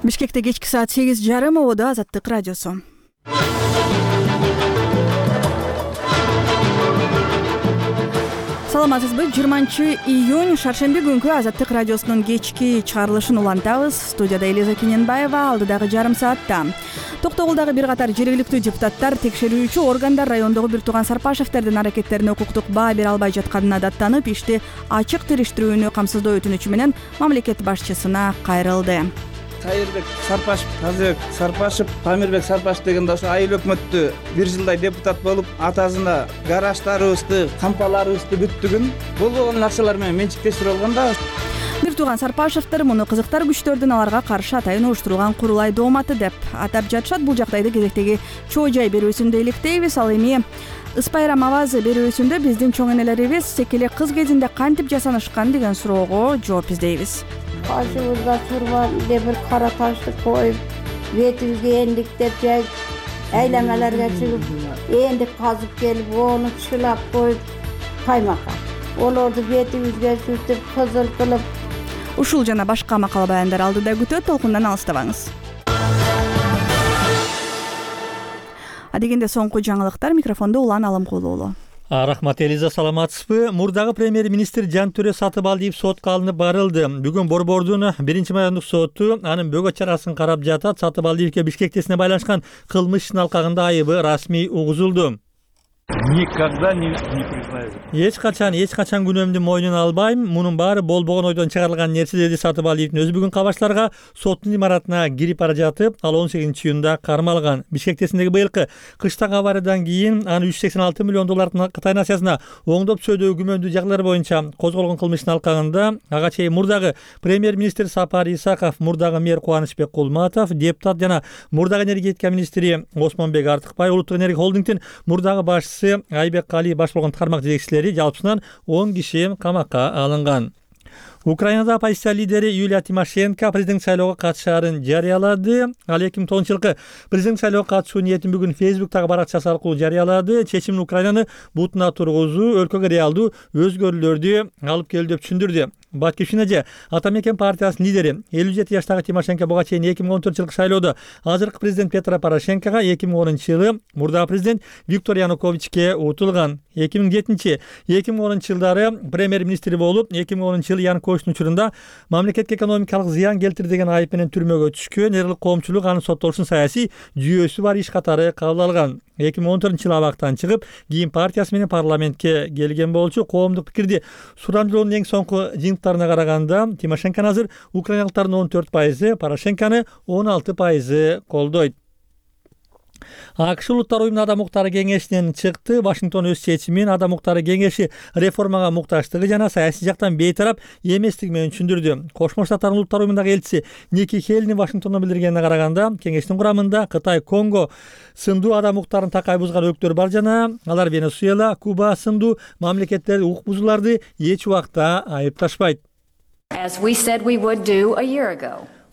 Бишкекте кечки саат сегиз жарым, ободо Азаттык радиосу. Саламатсызбы? жыйырманчы июнь шаршемби күнкү Азаттык радиосунун кечки чыгарылышын улантабыз. Студияда Элиза Кененбаева, алдыдагы жарым саатта. Токтогулдагы бир катар жергиликтүү депутаттар текшерүүчү органдар райондогу бир тууган Сарпашевтердин аракеттерине укуктук баа бере албай жатканына даттанып, ишти ачык териштирүүнү камсыздоо өтүнүчү менен мамлекет башчысына кайрылды. Кайырбек Сарпашев, Тазыбек Сарпашев, Памирбек Сарпашев дегенде ошо айыл өкмөттү бир жылдай депутат болуп, атасына гараждарыбызды, кампаларыбызды бүттүгүн болбогон акчалар менен менчиктештирип алган да. Бир тууган Сарпашевтер муну кызыктар күчтөрдүн аларга каршы атайын уюштурулган курулай дооматы деп атап жатышат. Бул жагдайды кезектеги чоо жай берүүсүндө иликтейбиз. Ал эми Ыспайрам авазы берүүсүндө биздин чоң энелерибиз секеле кыз кезинде кантип жасанышкан деген суроого жооп издейбиз. Башыбызга сурма бир кара ташты коюп, бетибизге эндиктеп жайып, айлангаларга чыгып, эндик казып келип, ону чылап коюп, каймакка. Олорду бетибизге сүртүп, кызыл кылып. Ушул жана башка макала баяндар алдыда күтөт, толкундан алыстабаңыз. Адегенде соңку жаңылыктар, микрофондо Улан Алымкулуу уулу. Рахмат Элиза, саламатсызбы? Мурдагы премьер-министр Жантөре Сатыбалдиев сотко алынып барылды. Бүгүн Борбордун биринчи майондук соту анын бөгөт чарасын карап жатат. Сатыбалдиевке Бишкектесине байланышкан кылмыш ишин алкагында айыбы расмий угузулду. Никогда не, не признаю. Эч качан, эч качан күнөөмдү мойнуна албайм. Мунун баары болбогон ойдон чыгарылган нерсе, деди Сатыбалдиевдин өзү бүгүн кабарчыларга. Соттун имаратына кирип бара жатып, ал он сегизинчи июнда кармалган. Бишкектесиндеги быйылкы кыштагы авариядан кийин аны үч жүз сексен алты миллион доллардын Кытай насиясына оңдоп сөйдөө күмөндүү жагдайлар боюнча козголгон кылмыштын алкагында ага чейин мурдагы премьер-министр Сапар Исаков, мурдагы мэр Кубанычбек Кулматов, депутат жана мурдагы энергетика министри Осмонбек Артыкбай, Улуттук энергия холдингдин мурдагы башчысы Айбек Кали баш болгон тармак жетекчилери жалпысынан он киши камакка алынган. Украинада оппозиция лидери Юлия Тимошенко президент шайлоого катышаарын жарыялады. Ал эки миң тогузунчу жылкы президент шайлоого катышуу ниетин бүгүн Фейсбуктагы баракчасы аркылуу жарыялады. Чечимин Украинаны бутуна тургузуу өлкөгө реалдуу өзгөрүүлөрдү алып келди деп түшүндүрдү. Батчкивщина же Ата мекен партиясынын лидери элүү жети жаштагы Тимошенко буга чейин эки миң он төртүнчү жылкы шайлоодо азыркы президент Петро Порошенкого, эки миң онунчу жылы мурдагы президент Виктор Януковичке утулган. эки миң жетинчи эки миң онунчу жылдары премьер-министри болуп, эки миң онунчу жылы Януковичтин учурунда мамлекетке экономикалык зыян келтирди деген айып менен түрмөгө түшкөн. Эрлик коомчулук анын соттолушун саясий жүйөсү бар иш катары кабыл алган. эки миң он төртүнчү жылы абактан чыгып, кийин партиясы менен парламентке келген болчу. Коомдук пикирди сурамжылоонун эң соңку жыйынтыктарына караганда Тимошенко азыр украиналыктардын он төрт пайызы, Порошенкону он алты пайызы колдойт. АКШ Улуттар уюмунун Адам укуктары кеңешинен чыкты. Вашингтон өз чечимин Адам укуктары кеңеши реформага муктачтыгы жана саясий жактан бейтарап эместиги менен түшүндүрдү. Кошмо Штаттардын Улуттар уюмундагы элчиси Ники Хейли Вашингтондо билдиргенине караганда, кеңештин курамында Кытай, Конго сындуу адам укуктарын такай бузган өлкөлөр бар жана алар Венесуэла, Куба сындуу мамлекеттер укук бузууларды эч убакта айыпташпайт.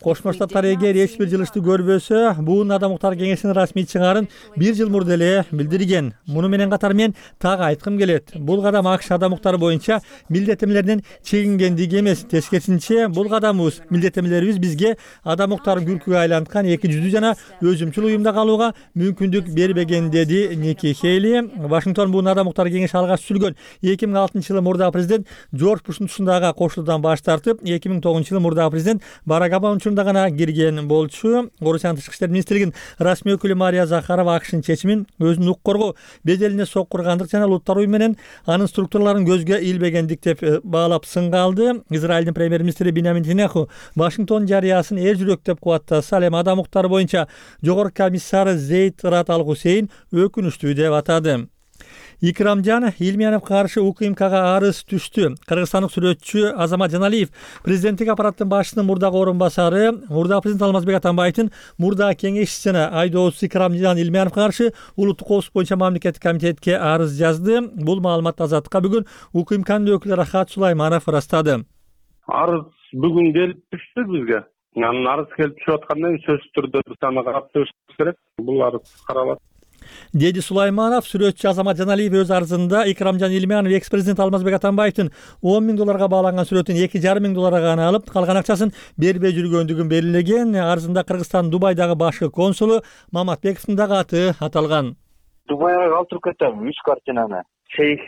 Кошмо Штаттар эгер эч бир жылыштуу көрбөсө, бул Адам укуктар кеңешинин расмий чыгаарын бир жыл мурда эле билдирген. Муну менен катар мен так айткым келет. Бул кадам АКШ адам укуктары боюнча милдеттемелерден чегингендиги эмес, тескерисинче бул кадамыбыз, милдеттемелерибиз бизге адам укуктарын күлкүгө айланткан эки жүздүү жана өзүмчүл уюмда калууга мүмкүндүк бербеген, деди Ники Хейли. Вашингтон бул адам укуктары кеңеши алгач түзүлгөн эки миң алтынчы жылы мурдагы президент Джордж Буштун тушундагы кошулуудан баш тартып, эки миң тогузунчу жылы мурдагы президент Барак Обаманын учурунда гана кирген болчу. Орусиянын тышкы иштер министрлигинин расмий өкүлү Мария Захарова АКШнын чечимин өзүнүн укук коргоо беделине соккургандык жана улуттар уюму менен анын структураларын көзгө илбегендик деп баалап сынга алды. Израилдин премьер-министри Биньямин Нетаньяху Вашингтон жарыясын эр жүрөк деп кубаттаса, ал эми адам укуктары боюнча жогорку комиссары Зейд Рат Ал Хусейн өкүнүчтүү деп атады. Икрамжан Илмияновго каршы УКМКга арыз түштү. Кыргызстандык сүрөтчү Азамат Жаналиев президенттик аппараттын башчысынын мурдагы орун басары, мурдагы президент Алмазбек Атамбаевдин мурдагы кеңешчиси жана айдоочусу Икрамжан Илмияновго каршы улуттук коопсуздук боюнча мамлекеттик комитетке арыз жазды. Бул маалыматты Азаттыкка бүгүн УКМКнын өкүлү Рахат Сулайманов ырастады. Арыз бүгүн келип түштү бизге. Анын арыз келип түшүп аткандан кийин сөзсүз түрдө биз аны карап чыгышыбыз керек. Бул арыз каралат, деди Сулайманов. Сүрөтчү Азамат Жаналиев өз арызында Икрамжан Илмиянов экс-президент Алмазбек Атамбаевдин он миң долларга бааланган сүрөтүн эки жарым миң долларга гана алып, калган акчасын бербей жүргөндүгүн белгилеген. Арызында Кыргызстандын Дубайдагы башкы консулу Маматбековдун дагы аты аталган. Дубайга калтырып кетем үч картинаны. Шейх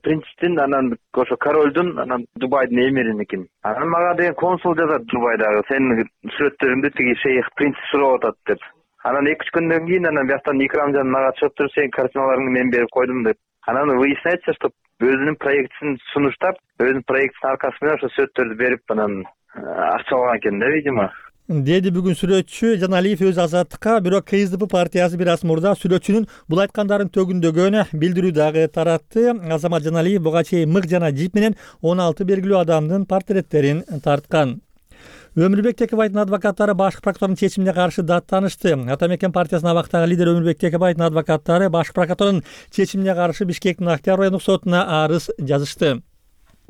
принцтин, анан ошо королдун, анан Дубайдын эмириники. Анан мага деген консул жазат Дубайдагы, сенин сүрөттөрүңдү тиги шейх принц сурап атат деп. Анан эки үч күндөн кийин анан бияктан Икрамжан мага чыгып туруп, сенин картиналарыңды мен берип койдум деп. Анан выясняется, что өзүнүн проектисин сунуштап, өзүнүн проектисинин аркасы менен ошо сүрөттөрдү берип, анан акча алган экен да, видимо. Деди бүгүн сүрөтчү Жаналиев өз Азаттыкка. Бирок КСДП партиясы бир аз мурда сүрөтчүнүн бул айткандарын төгүндөгөн билдирүү дагы таратты. Азамат Жаналиев буга чейин мык жана жип менен он алты белгилүү адамдын портреттерин тарткан. Өмүрбек Текебаевдин адвокаттары башкы прокуратуранын чечимине каршы даттанышты. Атамекен партиясынын абактагы лидери Өмүрбек Текебаевдин адвокаттары башкы прокуратуранын чечимине каршы Бишкектин Актяр райондук сотуна арыз жазышты.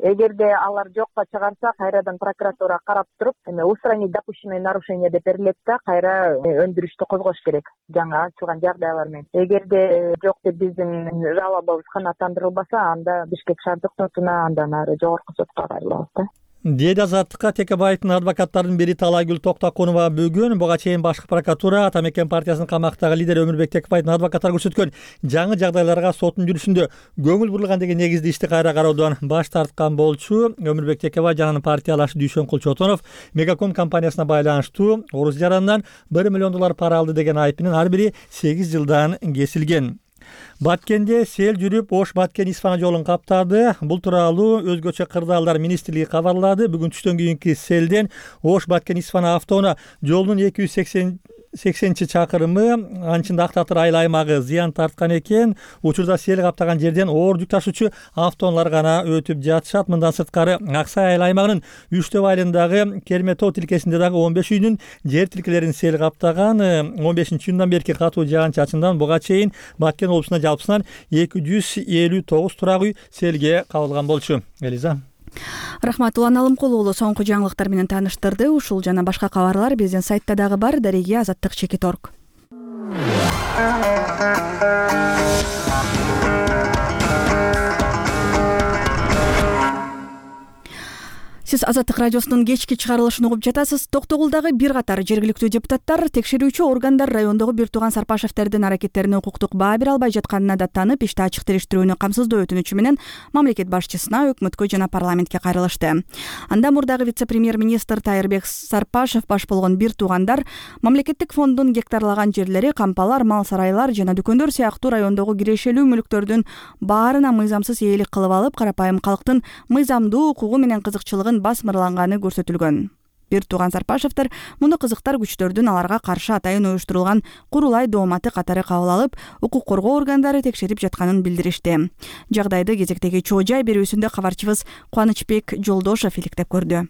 Эгерде алар жокко чыгарса, кайрадан прокуратура карап туруп, эми устранить допущенное нарушение деп берилет да, кайра өндүрүштү козгош керек жаңы ачылган жагдайлар менен. Эгерде жок деп биздин жалобабыз канааттандырылбаса, анда Бишкек шаардык сотуна, андан ары жогорку сотко кайрылабыз да. Деди Азаттыкка Текебаевдин адвокаттарынын бири Талайгүл Токтокунова бүгүн буга чейин башкы прокуратура Атамекен партиясынын камактагы лидери Өмүрбек Текебаевдин адвокаттары көрсөткөн жаңы жагдайларга соттун жүрүшүндө көңүл бурулган деген негизде ишти кайра кароодон баш тарткан болчу. Өмүрбек Текебаев жана анын партиялашы Дүйшөнкул Чотонов Мегаком компаниясына байланыштуу орус жаранынан бир миллион доллар пара алды деген айыпынын ар бири сегиз жылдан кесилген. Баткенде сел жүрүп, Ош Баткен Исфана жолун каптады. Бул тууралуу өзгөчө кырдаалдар министрлиги кабарлады. Бүгүн түштөн кийинки селден Ош Баткен Исфана автоунаа жолдун эки жүз сексенинчи чакырымы анчында Ак Татыр айыл аймагы зыян тарткан экен. Учурда сел каптаган жерден оор жүк ташуучу автоунаалар гана өтүп жатышат. Мындан сырткары Аксай айыл аймагынын Үчтөб айылындагы Керметоо тилкесинде дагы он беш үйдүн жер тилкелерин сел каптаган. он бешинчи июндан берки катуу жаан чачындан буга чейин Баткен облусунда жалпысынан эки жүз элүү тогуз турак үй селге кабылган болчу. Элиза. Рахмат. Улан Алымкул уулу соңку жаңылыктар менен тааныштырды. Ушул жана башка кабарлар биздин сайтта дагы бар. Дареги азаттык чекит орг. Сиз Азаттык радиосунун кечки чыгарылышын угуп жатасыз. Токтогулдагы бир катар жергиликтүү депутаттар текшерүүчү органдар райондогу Бир Тууган Сарпашевдердин аракеттерине укуктук баа бере албай жатканына даттанып, ишти ачык териштирүүнү камсыздоо өтүнүчү менен мамлекет башчысына, өкмөткө жана парламентке кайрылышты. Анда мурдагы вице-премьер-министр Тайырбек Сарпашев баш болгон Бир Туугандар мамлекеттик фонддун гектарлаган жерлери, кампалар, мал сарайлар жана дүкөндөр сыяктуу райондогу кирешелүү мүлктөрдүн баарына мыйзамсыз ээлик кылып алып, карапайым калктын мыйзамдуу укугу менен кызыкчылыгын басмырланганы көрсөтүлгөн. Бир Тууган Сарпашевдер муну кызыктар күчтөрдүн аларга каршы атайын уюштурулган курулай дооматы катары кабыл алып, укук коргоо органдары текшерип жатканын билдиришти. Жагдайды кезектеги чоо жай берүүсүндө кабарчыбыз Кубанычбек Жолдошов иликтеп көрдү.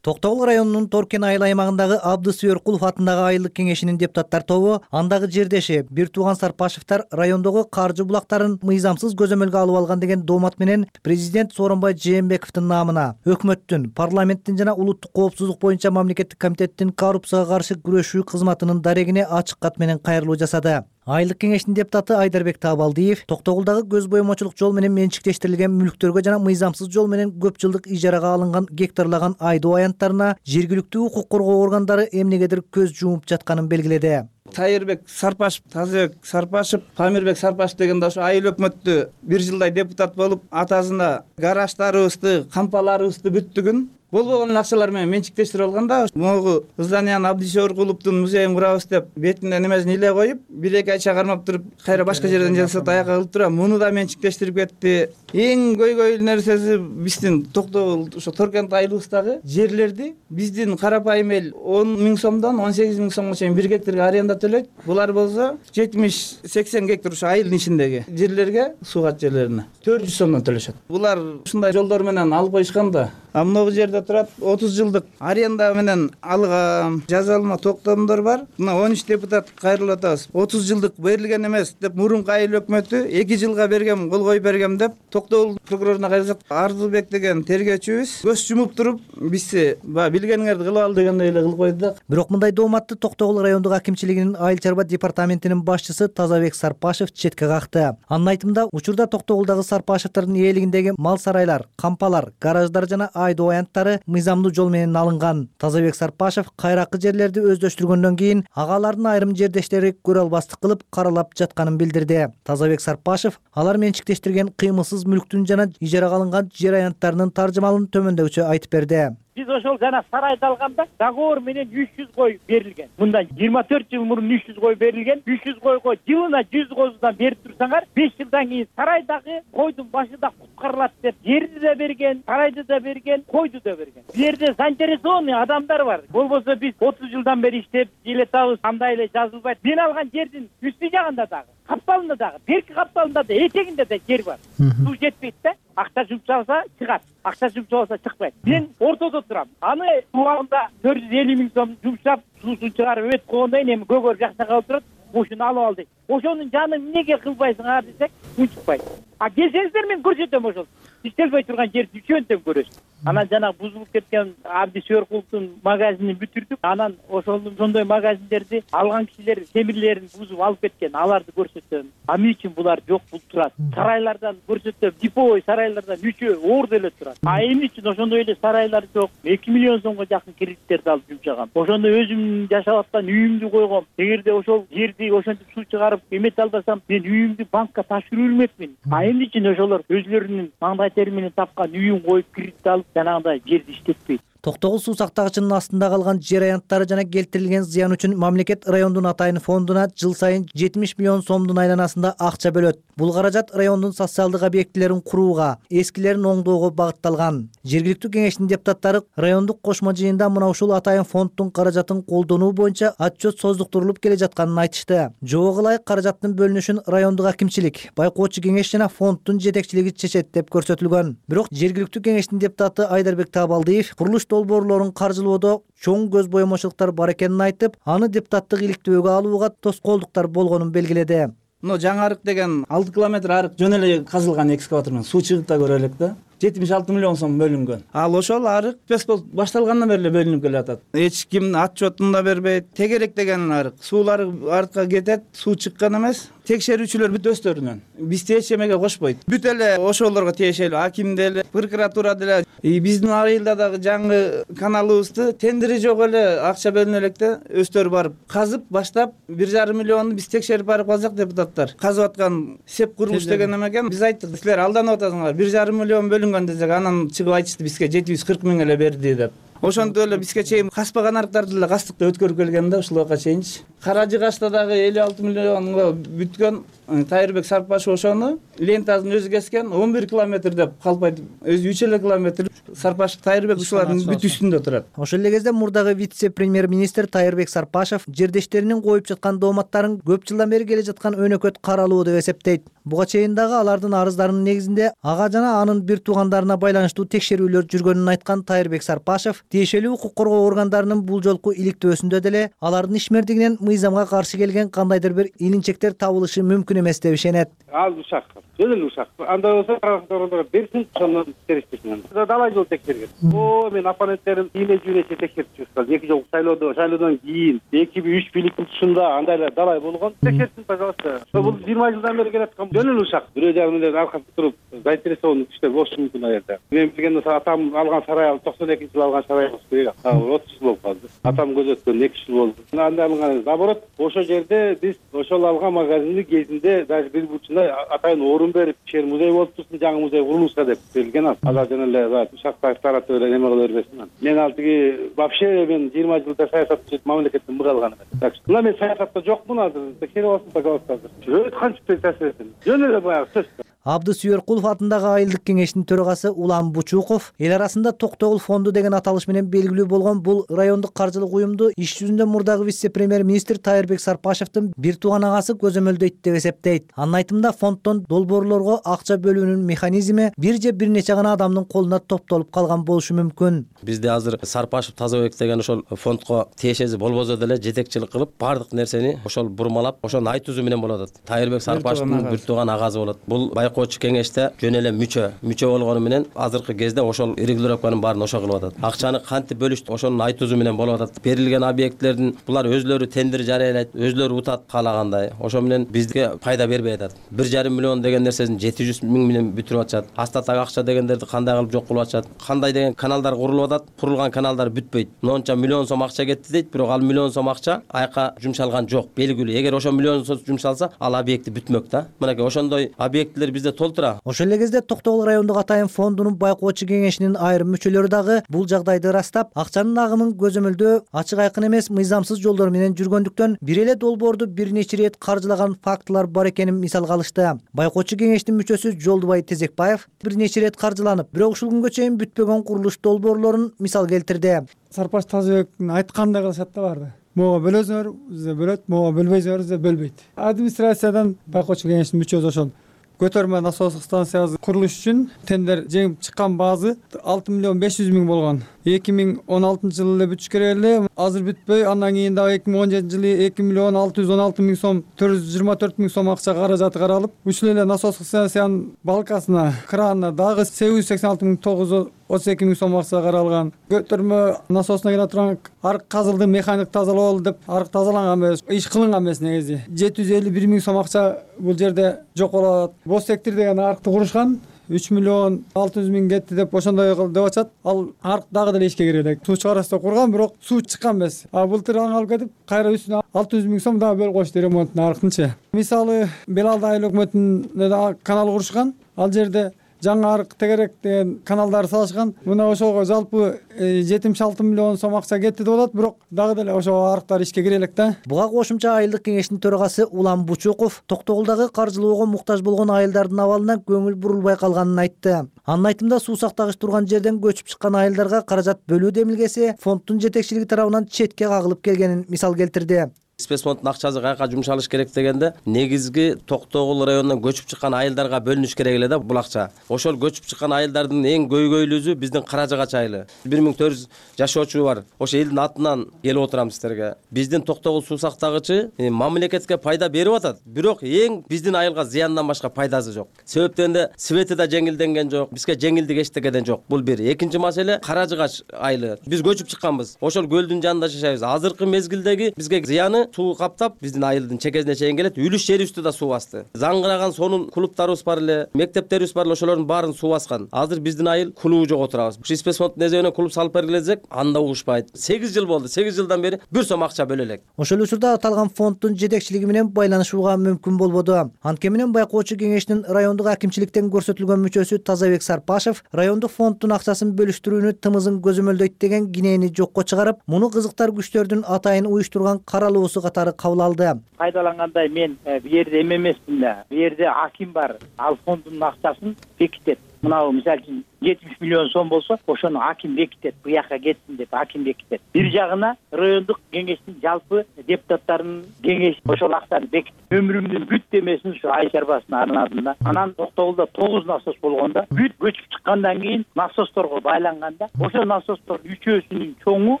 Токтогул районунун Торкен айыл аймагындагы Абдыс Өркулов атындагы айылдык кеңешинин депутаттар тобу андагы жердеши бир тууган Сарпашевдер райондогу каржы булактарын мыйзамсыз көзөмөлгө алып алган деген доомат менен президент Сооронбай Жээнбековдун наамына өкмөттүн, парламенттин жана улуттук коопсуздук боюнча мамлекеттик комитеттин коррупцияга каршы күрөшүү кызматынын дарегине ачык кат менен кайрылуу жасады. Айылдык кеңештин депутаты Айдарбек Табалдиев Токтогулдагы көз боемочулук жол менен менчиктештирилген мүлктөргө жана мыйзамсыз жол менен көп жылдык ижарага алынган гектарлаган айдоо аянттарына жергиликтүү укук коргоо органдары эмнегедир көз жумуп жатканын белгиледи. Тайырбек Сарпашев, Тазыбек Сарпашев, Памирбек Сарпашев дегенде ошо айыл өкмөттү бир жылдай депутат болуп, атасына гараждарыбызды, кампаларыбызды бүттүгүн болбогон акчалар менен менчиктештирип алган да. Могу зданияны Абдис Өркуловдун музейин курабыз деп бетине немесин иле коюп, бир эки айча кармап туруп, кайра башка жерден жасап аяка кылып туруп, муну да менчиктештирип кетти. Эң көйгөйлүү нерсеси биздин Токтогул ошо Торкент айылыбыздагы жерлерди биздин карапайым эл он миң сомдон он сегиз миң сомго чейин бир гектарга аренда төлөйт. Булар болсо жетимиш сексен гектар ошо айылдын ичиндеги жерлерге, суугат жерлерине төрт жүз сомдон төлөшөт. Булар ушундай жолдор менен алып коюшкан да. А могу жерде турат отуз жылдык аренда менен алган жазалма токтомдор бар. Мына он үч депутат кайрылып атабыз. отуз жылдык берилген эмес деп мурунку айыл өкмөтү эки жылга бергем, кол коюп бергем деп Токтогул прокуроруна кайрылсак, Ардылбек деген тергөөчүбүз көз жумуп туруп бизди баягы билгениңерди кылып ал дегендей эле кылып койду да. Бирок мындай дооматты Токтогул райондук акимчилигинин айыл чарба департаментинин башчысы Тазабек Сарпашев четке какты. Анын айтымында, учурда Токтогулдагы Сарпашевдердин ээлигиндеги мал сарайлар, кампалар, гараждар жана айдоо аянттары мыйзамдуу жол менен алынган. Тазабек Сарпашев кайракы жерлерди өздөштүргөндөн кийин агалардын айрым жердештери көрө албастык кылып каралап жатканын билдирди. Тазабек Сарпашев алар менчиктештирген кыймылсыз мүлктүн жана ижарага алынган жер аянттарынын таржымалын төмөндөгүчө айтып берди. Биз ошол жана сарайды алганда договор менен үч жүз кой берилген. Мындан жыйырма төрт жыл мурун үч жүз кой берилген. үч жүз койго жылына жүз козудан берип турсаңар, беш жылдан кийин сарайдагы койдун башы да куткарылат деп жерди да берген, сарайды да берген, койду да берген. Бу жерде заинтересованный адамдар бар. Болбосо биз отуз жылдан бери иштеп желетабыз, андай эле жазылбайт. Мен алган жердин үстү жагында дагы, капталында дагы, берки капталында да, этегинде да жер бар. Суу жетпейт да. Акча жумшалса чыгат, акча жумшалбаса чыкпайт. Мен ортодо турам. Аны убагында төрт жүз элүү миң сом жумшап, суусун чыгарып өтүп койгондон кийин эми көгөр жакта калып турат. Ошону алып ал дейт. Ошонун жанын эмнеге кылбайсыңар десек, унчукпайт. А келсеңиздер мен көрсөтөм ошол. Иштелбей турган жерди үчөөнтөн көрөсүз. Анан жана бузулуп кеткен Абдис Өркуловдун магазинин бүтүрдүк. Анан ошондой сондой магазиндерди алган кишилер темирлерин бузуп алып кеткен. Аларды көрсөтөм. А эмне үчүн булар жок бул турат? Сарайлардан көрсөтөм. Диповой сарайлардан үчөө орду эле турат. А эмне үчүн ошондой эле сарайлар жок? эки миллион сомго жакын кредиттерди алып жумшагам. Ошондо өзүм жашап аткан үйүмдү койгом. Эгерде ошол жерди ошентип суу чыгарып эмете албасам, мен үйүмдү банкка тапшырып элмекмин. А эмне үчүн ошолор өзлөрүнүн маңдай тери менен тапкан үйүн коюп кредит алып жанагындай жерди иштетпейт? Токтогул суу сактагычынын астында калган жер аянттары жана келтирилген зыян үчүн мамлекет райондун атайын фондуна жыл сайын жетимиш миллион сомдун айланасында акча бөлөт. Бул каражат райондун социалдык объектилерин курууга, эскилерин оңдоого багытталган. Жергиликтүү кеңештин депутаттары райондук кошмо жыйында мына ушул атайын фонддун каражатын колдонуу боюнча отчет создуктурулуп келе жатканын айтышты. Жобого ылайык каражаттын бөлүнүшүн райондук акимчилик, байкоочу кеңеш жана фонддун жетекчилиги чечет деп көрсөтүлгөн. Бирок жергиликтүү кеңештин депутаты Айдарбек Табалдиев курулуш долбоорлорун каржылоодо чоң көз боемочулуктар бар экенин айтып, аны депутаттык иликтөөгө алууга тоскоолдуктар болгонун белгиледи. Мына жаңы арык деген алты километр арык жөн эле казылган экскаватор менен суу чыгып да көрө элек да. жетимиш алты миллион сом бөлүнгөн. Ал ошол арык спецбол башталгандан бери эле бөлүнүп келатат. Эч ким отчетун да бербейт. Тегерек деген арык суулары артка кетет, суу чыккан эмес. Текшерүүчүлөр бүт өздөрүнөн бизди эч эмеге кошпойт. Бүт эле ошолорго тиешелүү, аким деле, прокуратура деле. Биздин айылда дагы жаңы каналыбызды тендери жок эле акча бөлүнө электе өздөрү барып казып баштап бир жарым миллионду биз текшерип барып калсак депутаттар. Казып аткан сеп курулуш деген эме экен. Биз айттык, силер алданып атасыңар. бир жарым миллион бөлүнгөн десек, анан чыгып айтышты бизге жети жүз кырк миң эле берди деп. Ошондой эле бизге чейин каспаган арыктарды эле кастыкта өткөрүп келген да ушул убакка чейинчи. Каражыгачта дагы элүү алты миллионго бүткөн Тайырбек Сарпашев ошону лентасын өзү кескен, он бир километр деп калпайт. Өзү үч эле километр Сарпашев Тайырбек ушулардын бүт үстүндө турат. Ошол эле кезде мурдагы вице-премьер-министр Тайырбек Сарпашев жердештеринин коюп жаткан дооматтарын көп жылдан бери келе жаткан өнөкөт каралуу деп эсептейт. Буга чейин дагы алардын арыздарынын негизинде ага жана анын бир туугандарына байланыштуу текшерүүлөр жүргөнүн айткан Тайырбек Сарпашев тиешелүү укук коргоо органдарынын бул жолку иликтөөсүндө деле алардын ишмердигинен мыйзамга каршы келген кандайдыр бир илинчектер табылышы мүмкүн эмес деп ишенет. Ал ушак, жөн эле ушак. Андай болсо каракчылар берсин, ошондон териштирсин. Далай жол текшерген. О, мен оппоненттерим ийне жүйнөчө текшерип чыккан. Эки жолку шайлоодо, шайлоодон кийин эки үч бийликтин тушунда андай эле далай болгон. Текшерсин, пожалуйста. Бул жыйырма жылдан бери келаткан жөн эле ушак. Бирөө жагы менен аркасында туруп заинтересованный кишилер болушу мүмкүн аерде. Мен билгенден атам алган сарай токсон экинчи жылы алган сарай болуш керек. отуз жыл болуп калды. Атам көзөткөн эки жыл болду. Андай алган, наоборот, ошол жерде биз ошол алган магазинди кезинде даже бир бурчунда атайын орун берип, шер музей болуп турсун, жаңы музей курулуша деп берилген ал. Ага жана эле Ушакбаев тарапы эле неме кыла бербесин. Мен ал тиги вообще мен жыйырма жылда саясатчы мамлекеттен мык алган эмес. Так что мен саясатта жокмун азыр. Текшерип алсын, пожалуйста. Өт канча таасир этин. Жөн эле баягы сөз. Абдысүйөркулов атындагы айылдык кеңештин төрагасы Улан Бучуков эл арасында Токтогул фонду деген аталыш менен белгилүү болгон бул райондук каржылык уюмду иш жүзүндө мурдагы вице-премьер-министр Тайырбек Сарпашевдин бир тууган агасы көзөмөлдөйт деп эсептейт. Анын айтымында фонддон долбоорлорго акча бөлүүнүн механизми бир же бир нече гана адамдын колуна топтолуп калган болушу мүмкүн. Бизде азыр Сарпашев Тазабек деген ошол фондко тиешеси болбосо деле жетекчилик кылып, бардык нерсени ошол бурмалап, ошонун айтуусу менен болуп атат. Тайырбек Сарпашевдин бир тууган агасы болот. Бул байкоочу кеңеште жөн эле мүчө мүчө болгону менен азыркы кезде ошол регулировканын баарын ошо кылып атат. Акчаны кантип бөлүштү, ошонун айтуусу менен болуп атат. Берилген объектилердин булар өзлөрү тендер жарыялайт, өзлөрү утат каалагандай. Ошо менен бизге пайда бербей атат. бир жарым миллион деген нерсесин жети жүз миң менен бүтүрүп атышат. Астатак акча дегендерди кандай кылып жок кылып атышат. Кандай деген каналдар курулуп атат, курулган каналдар бүтпөйт. Монча миллион сом акча кетти дейт, бирок ал миллион сом акча айка жумшалган жок. Белгилүү. Эгер ошо миллион сом жумшалса, ал объекти бүтмөк да. Мынакей ошондой объектилер бизде толтура. Ошол эле кезде Токтогул райондук атайын фондунун байкоочу кеңешинин айрым мүчөлөрү дагы бул жагдайды ырастап, акчанын агымын көзөмөлдөө ачык айкын эмес, мыйзамсыз жолдор менен жүргөндүктөн бир эле долбоорду бир нече ирет каржылаган фактылар бар экенин мисалга алышты. Байкоочу кеңештин мүчөсү Жолдубай Тезекбаев бир нече ирет каржыланып, бирок ушул күнгө чейин бүтпөгөн курулуш долбоорлорун мисал келтирди. Сарпаш Тазабектин айткандай кылышат да барды. Мого бөлөсөңөр, бизде бөлөт, мого бөлбөйсөңөр, бизде бөлбөйт. Администрациядан байкоочу кеңештин мүчөсү ошол көтөрмө насостук станциясы курулуш үчүн тендер жеңип чыккан баазы алты миллион беш жүз миң болгон. эки миң он алтынчы жылы эле бүтүш керек эле. Азыр бүтпөй, андан кийин дагы эки миң он жетинчи жылы эки миллион алты жүз он алты миң сом, төрт жүз жыйырма төрт миң сом акча каражаты каралып, ушул эле насостук станциянын балкасына, кранына дагы сегиз жүз сексен алты миң тогуз жүз отуз эки миң сом акча каралган. Көтөрмө насосуна кире турган арык казылды, механик тазалоо деп арык тазаланган эмес, иш кылынган эмес негизи. жети жүз элүү бир миң сом акча бул жерде жок болот. Бос сектор деген арыкты курушкан. үч миллион алты жүз миң кетти деп ошондой кылып деп атышат. Ал арык дагы деле ишке кире элек. Суу чыгарасы курган, бирок суу чыккан эмес. А былтыр аны алып кетип, кайра үстүнө алты жүз миң сом дагы бөлүп коюшту ремонтун арыктынчы. Мисалы, Белалда айыл өкмөтүнө канал курушкан. Ал жерде жаңы арык тегерек деген каналдар салышкан. Мына ошого жалпы жетимиш алты миллион сом акча кетти деп атат, бирок дагы деле ошо арыктар ишке кире элек да. Буга кошумча айылдык кеңештин төрагасы Улан Бучуков Токтогулдагы каржылоого муктаж болгон айылдардын абалына көңүл бурулбай калганын айтты. Анын айтымында суу сактагыч турган жерден көчүп чыккан айылдарга каражат бөлүү демилгеси фонддун жетекчилиги тарабынан четке кагылып келгенин мисал келтирди. Спецфонддун акчасы каяка жумшалыш керек дегенде, негизги Токтогул районунан көчүп чыккан айылдарга бөлүнүш керек эле да бул акча. Ошол көчүп чыккан айылдардын эң көйгөйлүүсү биздин Каражыгач айылы. бир миң төрт жүз жашоочу бар. Ошо элдин атынан келип отурам сиздерге. Биздин Токтогул суу сактагычы мамлекетке пайда берип атат, бирок эң биздин айылга зыяндан башка пайдасы жок. Себеп дегенде свети да жеңилденген жок, бизге жеңилдик эчтекеден жок. Бул бир. Экинчи маселе Каражыгач айылы. Биз көчүп чыкканбыз. Ошол көлдүн жанында жашайбыз. Азыркы мезгилдеги бизге зыяны суу каптап, биздин айылдын чекесине чейин келет. Үлүш жерибизди да суу басты. Заңгыраган сонун клубтарыбыз бар эле, мектептерибиз бар эле, ошолордун баарын суу баскан. Азыр биздин айыл клубу жок отурабыз. Ушу спецфонддун эсебинен клуб салып бергиле десек, анда угушпайт. сегиз жыл болду. сегиз жылдан бери бир сом акча бөлө элек. Ошол учурда аталган фонддун жетекчилиги менен байланышууга мүмкүн болбоду. Анткени менен байкоочу кеңештин райондук акимчиликтен көрсөтүлгөн мүчөсү Тазабек Сарпашев райондук фонддун акчасын бөлүштүрүүнү тымызын көзөмөлдөйт деген кинени жокко чыгарып, муну кызыктар күчтөрдүн атайын уюштурган каралуусу катары кабыл алды. Кайдалангандай мен бу жерде эме эмесмин да. Бу жерде аким бар. Ал фонддун акчасын бекитет. мынабу мисалы үчүн жетимиш миллион сом болсо ошону аким бекитет, буяка кетсин деп аким бекитет. Бир жагына райондук кеңештин жалпы депутаттарынын кеңеши ошол акчаны бекитет. Өмүрүмдүн бүт демесин ушу ай чарбасына арнадым да. Анан Токтогулда тогуз насос болгондо бүт көчүп чыккандан кийин насосторго байланганда ошо насостордун үчөөсүнүн чоңу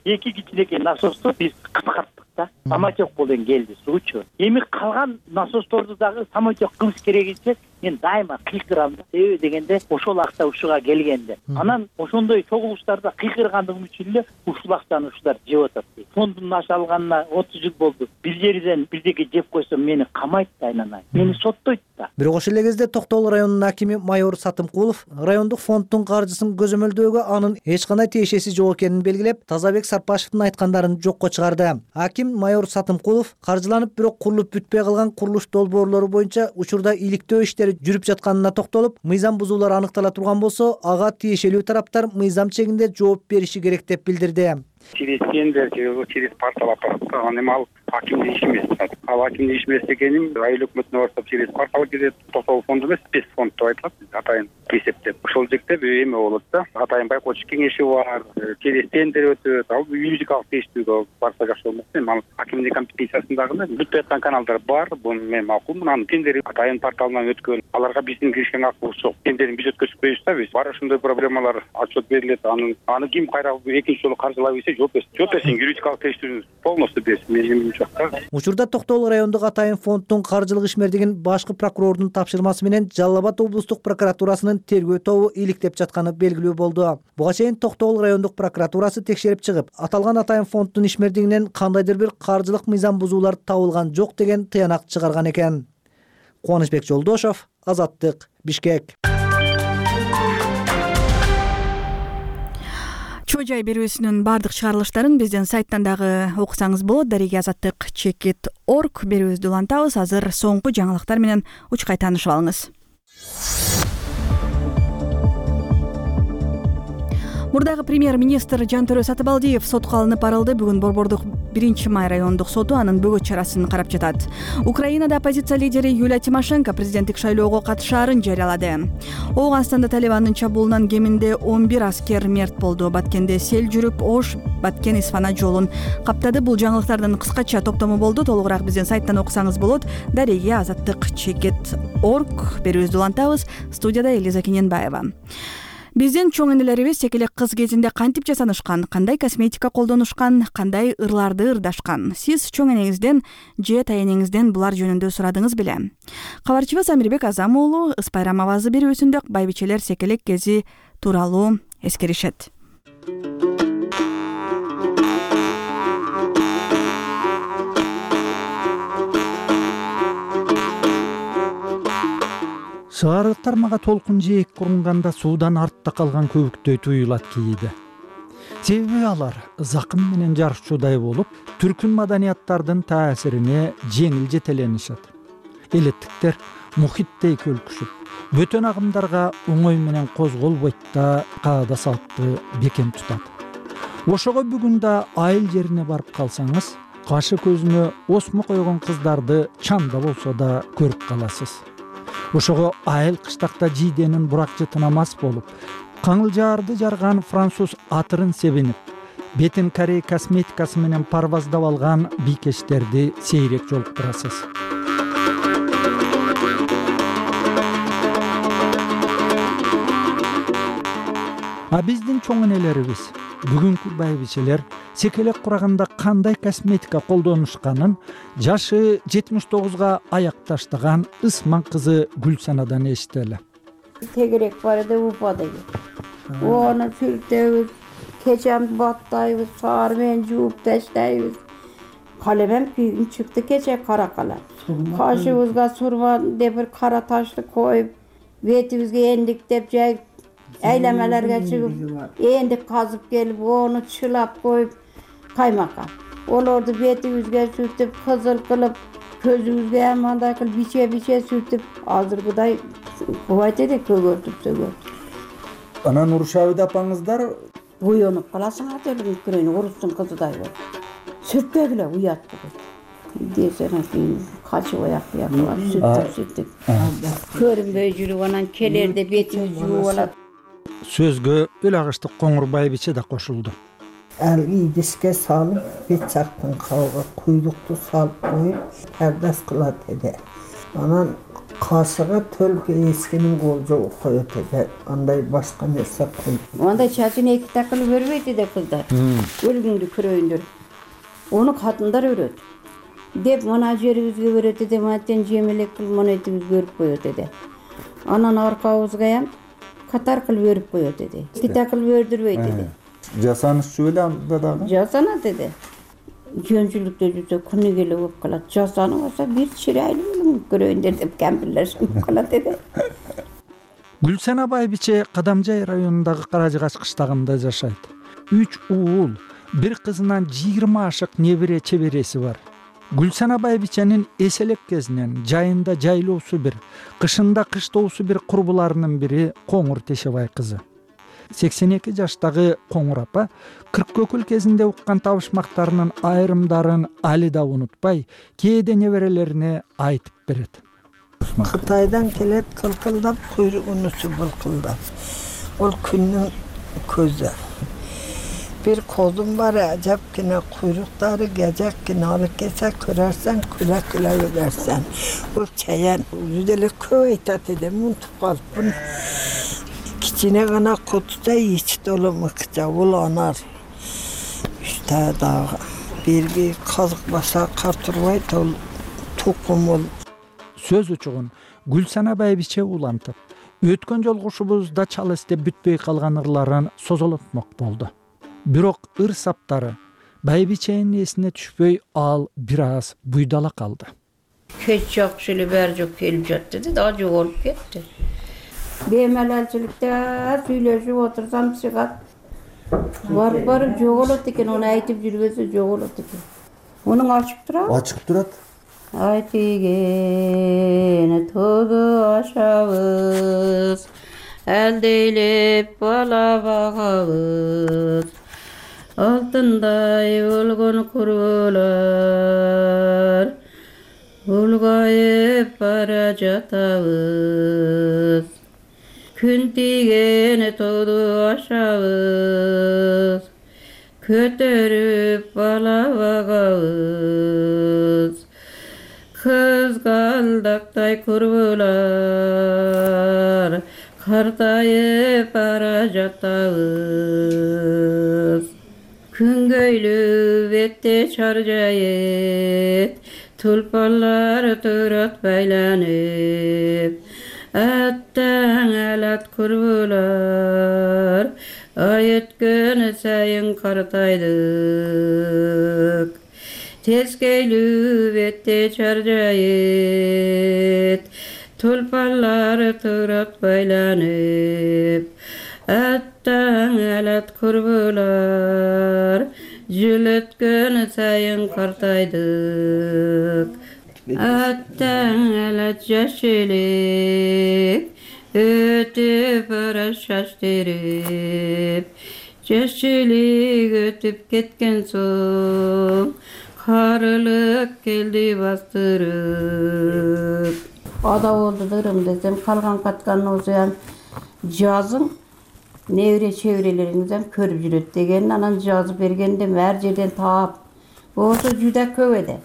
эки кичинекей насосту биз кыскарттык да. Самотек болон келди суучу. Эми калган насосторду дагы самотек кылыш керегинче мен дайыма кыйкырам да. Себеби дегенде ошол акча ушуга келгенде. Анан ошондой чогулуштарда кыйкыргандыгым үчүн эле ушул акчаны ушулар жеп атат. Фондун аша алганына отуз жыл болду. Бир жерден бирдеке жеп койсом мени камайт да, айнанай. Мени соттойт да. Бирок ошол эле кезде Токтогул районунун акими майор Сатымкулов райондук фонддун каржысын көзөмөлдөөгө анын эч кандай тиешеси жок экенин белгилеп, Тазабек Сарпашевдин айткандарын жокко чыгарды. Аким майор Сатымкулов каржыланып, бирок курулуп бүтпөй калган курулуш долбоорлору боюнча учурда иликтөө иштери жүрүп жатканына токтолуп, мыйзам бузуулар аныктала турган болсо, ага тиешелүү тараптар мыйзам чегинде жооп бериши керек деп билдирди. Через тендер, через портал апарат. Анан эми ал акимдин иши эмес. Ал акимдин иши эмес экенин айыл өкмөтүнө барсак через портал кирет. Токтогул фонду эмес, спец фонд деп айтылат. Атайын эсептеп. Ошол жерде эме болот да. Атайын байкоочу кеңеши бар, через тендер өтөт. Ал юридикалык тештүүгө барса жакшы болмок. Эми ал акимдин компетенциясындагы бүтпөй аткан каналдар бар. Бул мен макул. Мунун тендери атайын порталынан өткөн. Аларга биздин киришкен акыбыз жок. Тендерин биз өткөзбөйбүз да биз. Бар ошондой проблемалар отчет берилет. Аны аны ким кайра экинчи жолу каржылай берсе жооп берсин. Жооп берсин, юридикалык тештүүнү полностью берсин. Менин учакта. Учурда Токтогул райондук атайын фонддун каржылык ишмердигин башкы прокурордун тапшырмасы менен Жалал Абад облустук прокуратурасынын тергөө тобу иликтеп жатканы белгилүү болду. Буга чейин Токтогул райондук прокуратурасы текшерип чыгып, аталган атайын фонддун ишмердигинен кандайдыр бир каржылык мыйзам бузуулар табылган жок деген тыянак чыгарган экен. Кубанычбек Жолдошов, Азаттык, Бишкек. Чоо жай берүүсүнүн бардык чыгарылыштарын биздин сайттан дагы окусаңыз болот. Дареги азаттык чекит точка орг берүүбүздү улантабыз. Азыр соңку жаңылыктар менен учкай таанышып алыңыз. Мурдагы премьер-министр Жантөрө Сатыбалдиев сотко алынып барылды. Бүгүн Борбордук биринчи май райондук соту анын бөгөт чарасын карап жатат. Украинада оппозиция лидери Юлия Тимошенко президенттик шайлоого катышаарын жарыялады. Ооганстанда Талибандын чабуулунан кеминде он бир аскер мерт болду. Баткенде сел жүрүп, Ош Баткен Исфана жолун каптады. Бул жаңылыктардын кыскача топтому болду. Толугураак биздин сайттан окусаңыз болот. Дареги азаттык чекит точка орг берүүбүздү улантабыз. Студияда Элиза Кененбаева. Биздин чоң энелерибиз тек эле кыз кезинде кантип жасанышкан, кандай косметика колдонушкан, кандай ырларды ырдашкан. Сиз чоң энеңизден же тайэнеңизден булар жөнүндө сурадыңыз беле? Кабарчыбыз Амирбек Азам уулу Ыс Байрам авазы берүүсүндө байбичелер секелек кези тууралуу эскеришет. Шаарыктар мага толкун жээк курунганда суудан артта калган көбүктөй туюлат кийди. Себеби алар закым менен жарышчудай болуп, түркүн маданияттардын таасирине жеңил жетеленишет. Элеттиктер мухиттей көлкүшүп, бөтөн агымдарга оңой менен козголбойт да каада саатты бекем тутат. Ошого бүгүн да айыл жерине барып калсаңыз, кашы көзүнө осмо койгон кыздарды чанда болсо да көрүп каласыз. Ошого айыл кыштакта жийденин буракчы тынамас болуп, каңылжаарды жарган француз атырын себинип, бетин корей косметикасы менен парваздап алган бийкечтерди сейрек жолуктурасыз. А биздин чоң энелерибиз, бүгүнкү байбичелер секелек кураганда кандай косметика колдонушканын жашы жетимиш тогузга аяк таштаган Ысман кызы Гүлсанадан эстели. Тегерек бар эди упады. Оны сүртөбүз, кечемди баттайбыз, саар менен жууп таштайбыз. Калемем күйүн чыкты кече кара калем. Кашыбызга сурман деп бир кара ташты коюп, бетибизге эндиктеп жайып, айлемелерге чыгып, эндик казып келип, оны чылап коюп, каймакка. Олорду бетибизге сүртүп, кызыл кылып, көзүбүзгө ham андай кылып биче-биче сүртүп, азыркыдай кубайт эди, көгөртүп сөгөртүп. Анан урушабы апаңыздар? Уянып каласың ателин күрөйүн, урустун кызыдай болуп. Сүртпөгүлө, уят болот. десең качып аяк бияк сүттүк сүттүк көрүнбөй жүрүп анан келерде бетиңди жууп алат. Сөзгө өл агыштык Коңур байбиче да кошулду. Ал идишке салып, бет жактын кабыга куйлукту салып коюп, пардас кылат эди. Анан кашыга төлкө эскенин колжо коет эди. Андай башка нерсе кылып. Андай чачын эки такылып өрбөйт эди кыздар. Өлгүңдү көрөйүндөр. Ону катындар өрөт. Деп мына жерибизге өрөт эди, мантен жемелек кылып мына этибизге өрүп коет эди. Анан аркабызга катар кылып өрүп коет эди. Эки такылып өрдүрбөйт эди. Жасанышчу эле анда дагы. Жасанат эди. Жөнчүлүктө жүрсө күнү келе болуп калат. Жасаныбаса бир чырайлуу көрөйүндөр деп кемпирлер шынып калат эди. Гүлсана байбиче Кадамжай районундагы Каражыгач кыштагында жашайт. Үч уул, бир кызынан жыйырма ашык небере чебереси бар. Гүлсана байбиченин эселек кезинен жайында жайлоосу бир, кышында кыштоосу бир курбуларынын бири Коңур Тешебай кызы. сексен эки жаштагы Коңур апа кырк көкүл кезинде уккан табышмактарынын айрымдарын али да унутпай, кээде неберелерине айтып берет. Кытайдан келет кылкылдап, куйругун учу былкылдап. Ол күндүн көзү. Bir kozum var, acapkine kuyrukları gecekine alıp geçse kırarsan, küle küle ölersen. O çayan yüzeli köy itat edem, unutup kalıp bunu. Kiçine kana kutuda iç dolu mıkça, ulanar. İşte daha bir bir kazık basa karturvay dol, tukum ol. Söz uçuğun Gülsana байбиче улантып, өткөн жолку ушубузда чал эстеп бүтпөй калган ырларын созолотмок болду. Бирок ыр саптары байбиченин эсине түшпөй, ал бир аз буйдала калды. Кеч жакшы эле баары жок келип жатты да, дагы жоголуп кетти. Бемалалчылыкта сүйлөшүп отурсам чыгат. Барып барып жоголот экен, ону айтып жүрбөсө жоголот экен. Мунун ачык турабы? Ачык турат. Айтыген тоду ашабыз, әлдейлеп бала багабыз. Алтындай болгон курбулар, улгайып бара жатабыз. Күн тиген тоду ашабыз, көтөрүп бала багабыз. Кызгалдактай курбулар, картайып бара жатабыз. Күнгөйлүү бетте чаржайып, тулпалар турат байланып. Аттаң алат курбулар, ай өткөн сайын картайдык. Тескейлүү бетте чаржайып, тулпалар турат байланып. Аттаң алат курбулар, жыл өткөн сайын картайдык. Аттаң алат жаш элек, өтүп бара шаш терип. Жаш элек өтүп кеткен соң, карылык келди бастырып. Ада болду дырым десем, калган каткан осуян жазың небере чеберелериңизден көрүп жүрөт деген, анан жазып бергенде ар жерден таап. Болсо жүдө көп эди.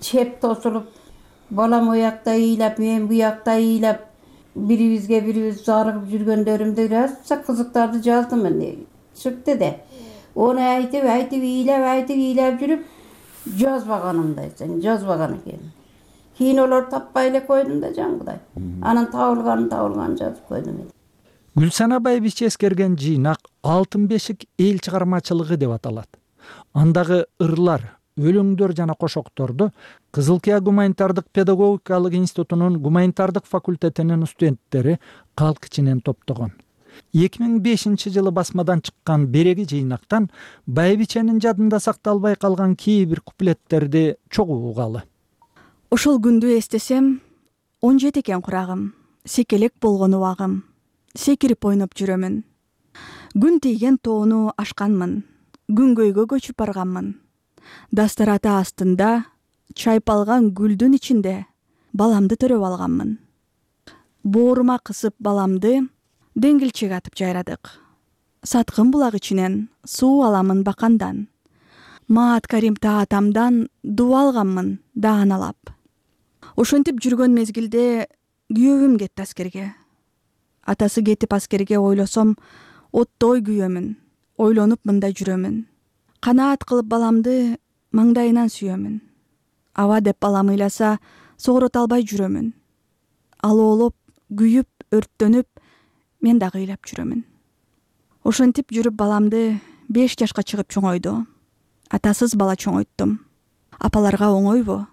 Чеп тосулуп, балам оякта ыйлап, мен буякта ыйлап, бирибизге бирибиз зарыгып жүргөндөрүмдү аса кызыктарды жаздым мен. Чыкты да. Ону айтып, айтып ыйлап, айтып ыйлап жүрүп, жазбаганымда эсен, жазбаган экен. Кийин олор таппай эле койдум да жаңгыдай. Анан табылганын табылганын жазып койдум. Гүлсана байбиче эскерген жыйнак Алтын бешик эл чыгармачылыгы деп аталат. Андагы ырлар, өлөңдөр жана кошокторду Кызылкия гуманитардык педагогикалык институтунун гуманитардык факультетинин студенттери калк ичинен топтогон. эки миң бешинчи жылы басмадан чыккан береги жыйнактан байбиченин жадында сакталбай калган кээ бир куплеттерди чогуу угалы. Ошол күндү эстесем, он жети экен курагым, секелек болгон убагым. Секирип ойноп жүрөмүн. Күн тийген тоону ашканмын, күнгөйгө көчүп барганмын. Дастарата астында чайып алган гүлдүн ичинде баламды төрөп алганмын. Боорума кысып баламды деңгилчеге атып жайрадык. Саткын булак ичинен суу аламын бакандан. Маат Карим таатамдан дуба алганмын дааналап. Ошентип жүргөн мезгилде күйөөм кетти аскерге. Атасы кетип аскерге ойлосом, оттой күйөмүн. Ойлонуп мындай жүрөмүн. Канаат кылып баламды маңдайынан сүйөмүн. Аба деп балам ыйласа, согорото албай жүрөмүн. Алоолоп, күйүп, өрттөнүп, мен дагы ыйлап жүрөмүн. Ошентип жүрүп баламды беш жашка чыгып чоңойду. Атасыз бала чоңойттум. Апаларга оңойбу?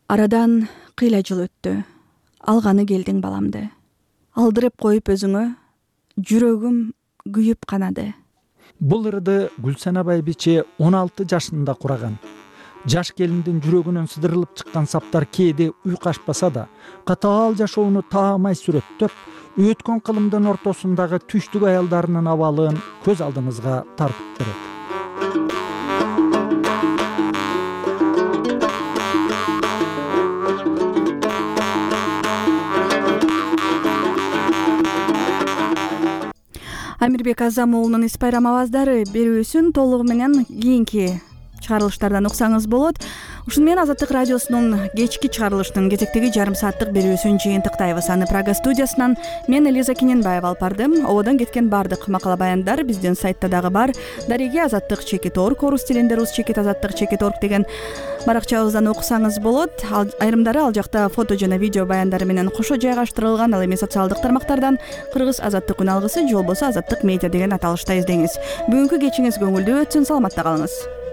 Арадан кыйла жыл өттү. Алганы келдиң баламды. Алдырып коюп өзүңө, жүрөгүм күйүп канады. Бул ырды Гүлсана байбиче он алты жашында кураган. Жаш келиндин жүрөгүнөн сыдырылып чыккан саптар кээде уйкашпаса да, катаал жашоону таамай сүрөттөп, өткөн кылымдын ортосундагы түштүк аялдарынын абалын көз алдыңызга тартып берет. Амирбек Азам уулунун Эс Байрам абаздары берүүсүн толугу менен кийинки чыгарылыштардан уксаңыз болот. Ушуну менен Азаттык радиосунун кечки чыгарылыштын кезектеги жарым сааттык берүүсүн жыйынтыктайбыз. Аны Прага студиясынан мен Элиза Кененбаева алып бардым. Ободон кеткен бардык макала баяндар биздин сайтта дагы бар. Дареги азаттык чекит орг, орус тилинде рус чекит азаттык чекит орг деген баракчабыздан окусаңыз болот. Айрымдары ал жакта фото жана видео баяндары менен кошо жайгаштырылган. Ал эми социалдык тармактардан Кыргыз азаттык үн алгысы же болбосо азаттык медиа деген аталышта издеңиз. Бүгүнкү кечиңиз көңүлдүү өтсүн, саламатта калыңыз.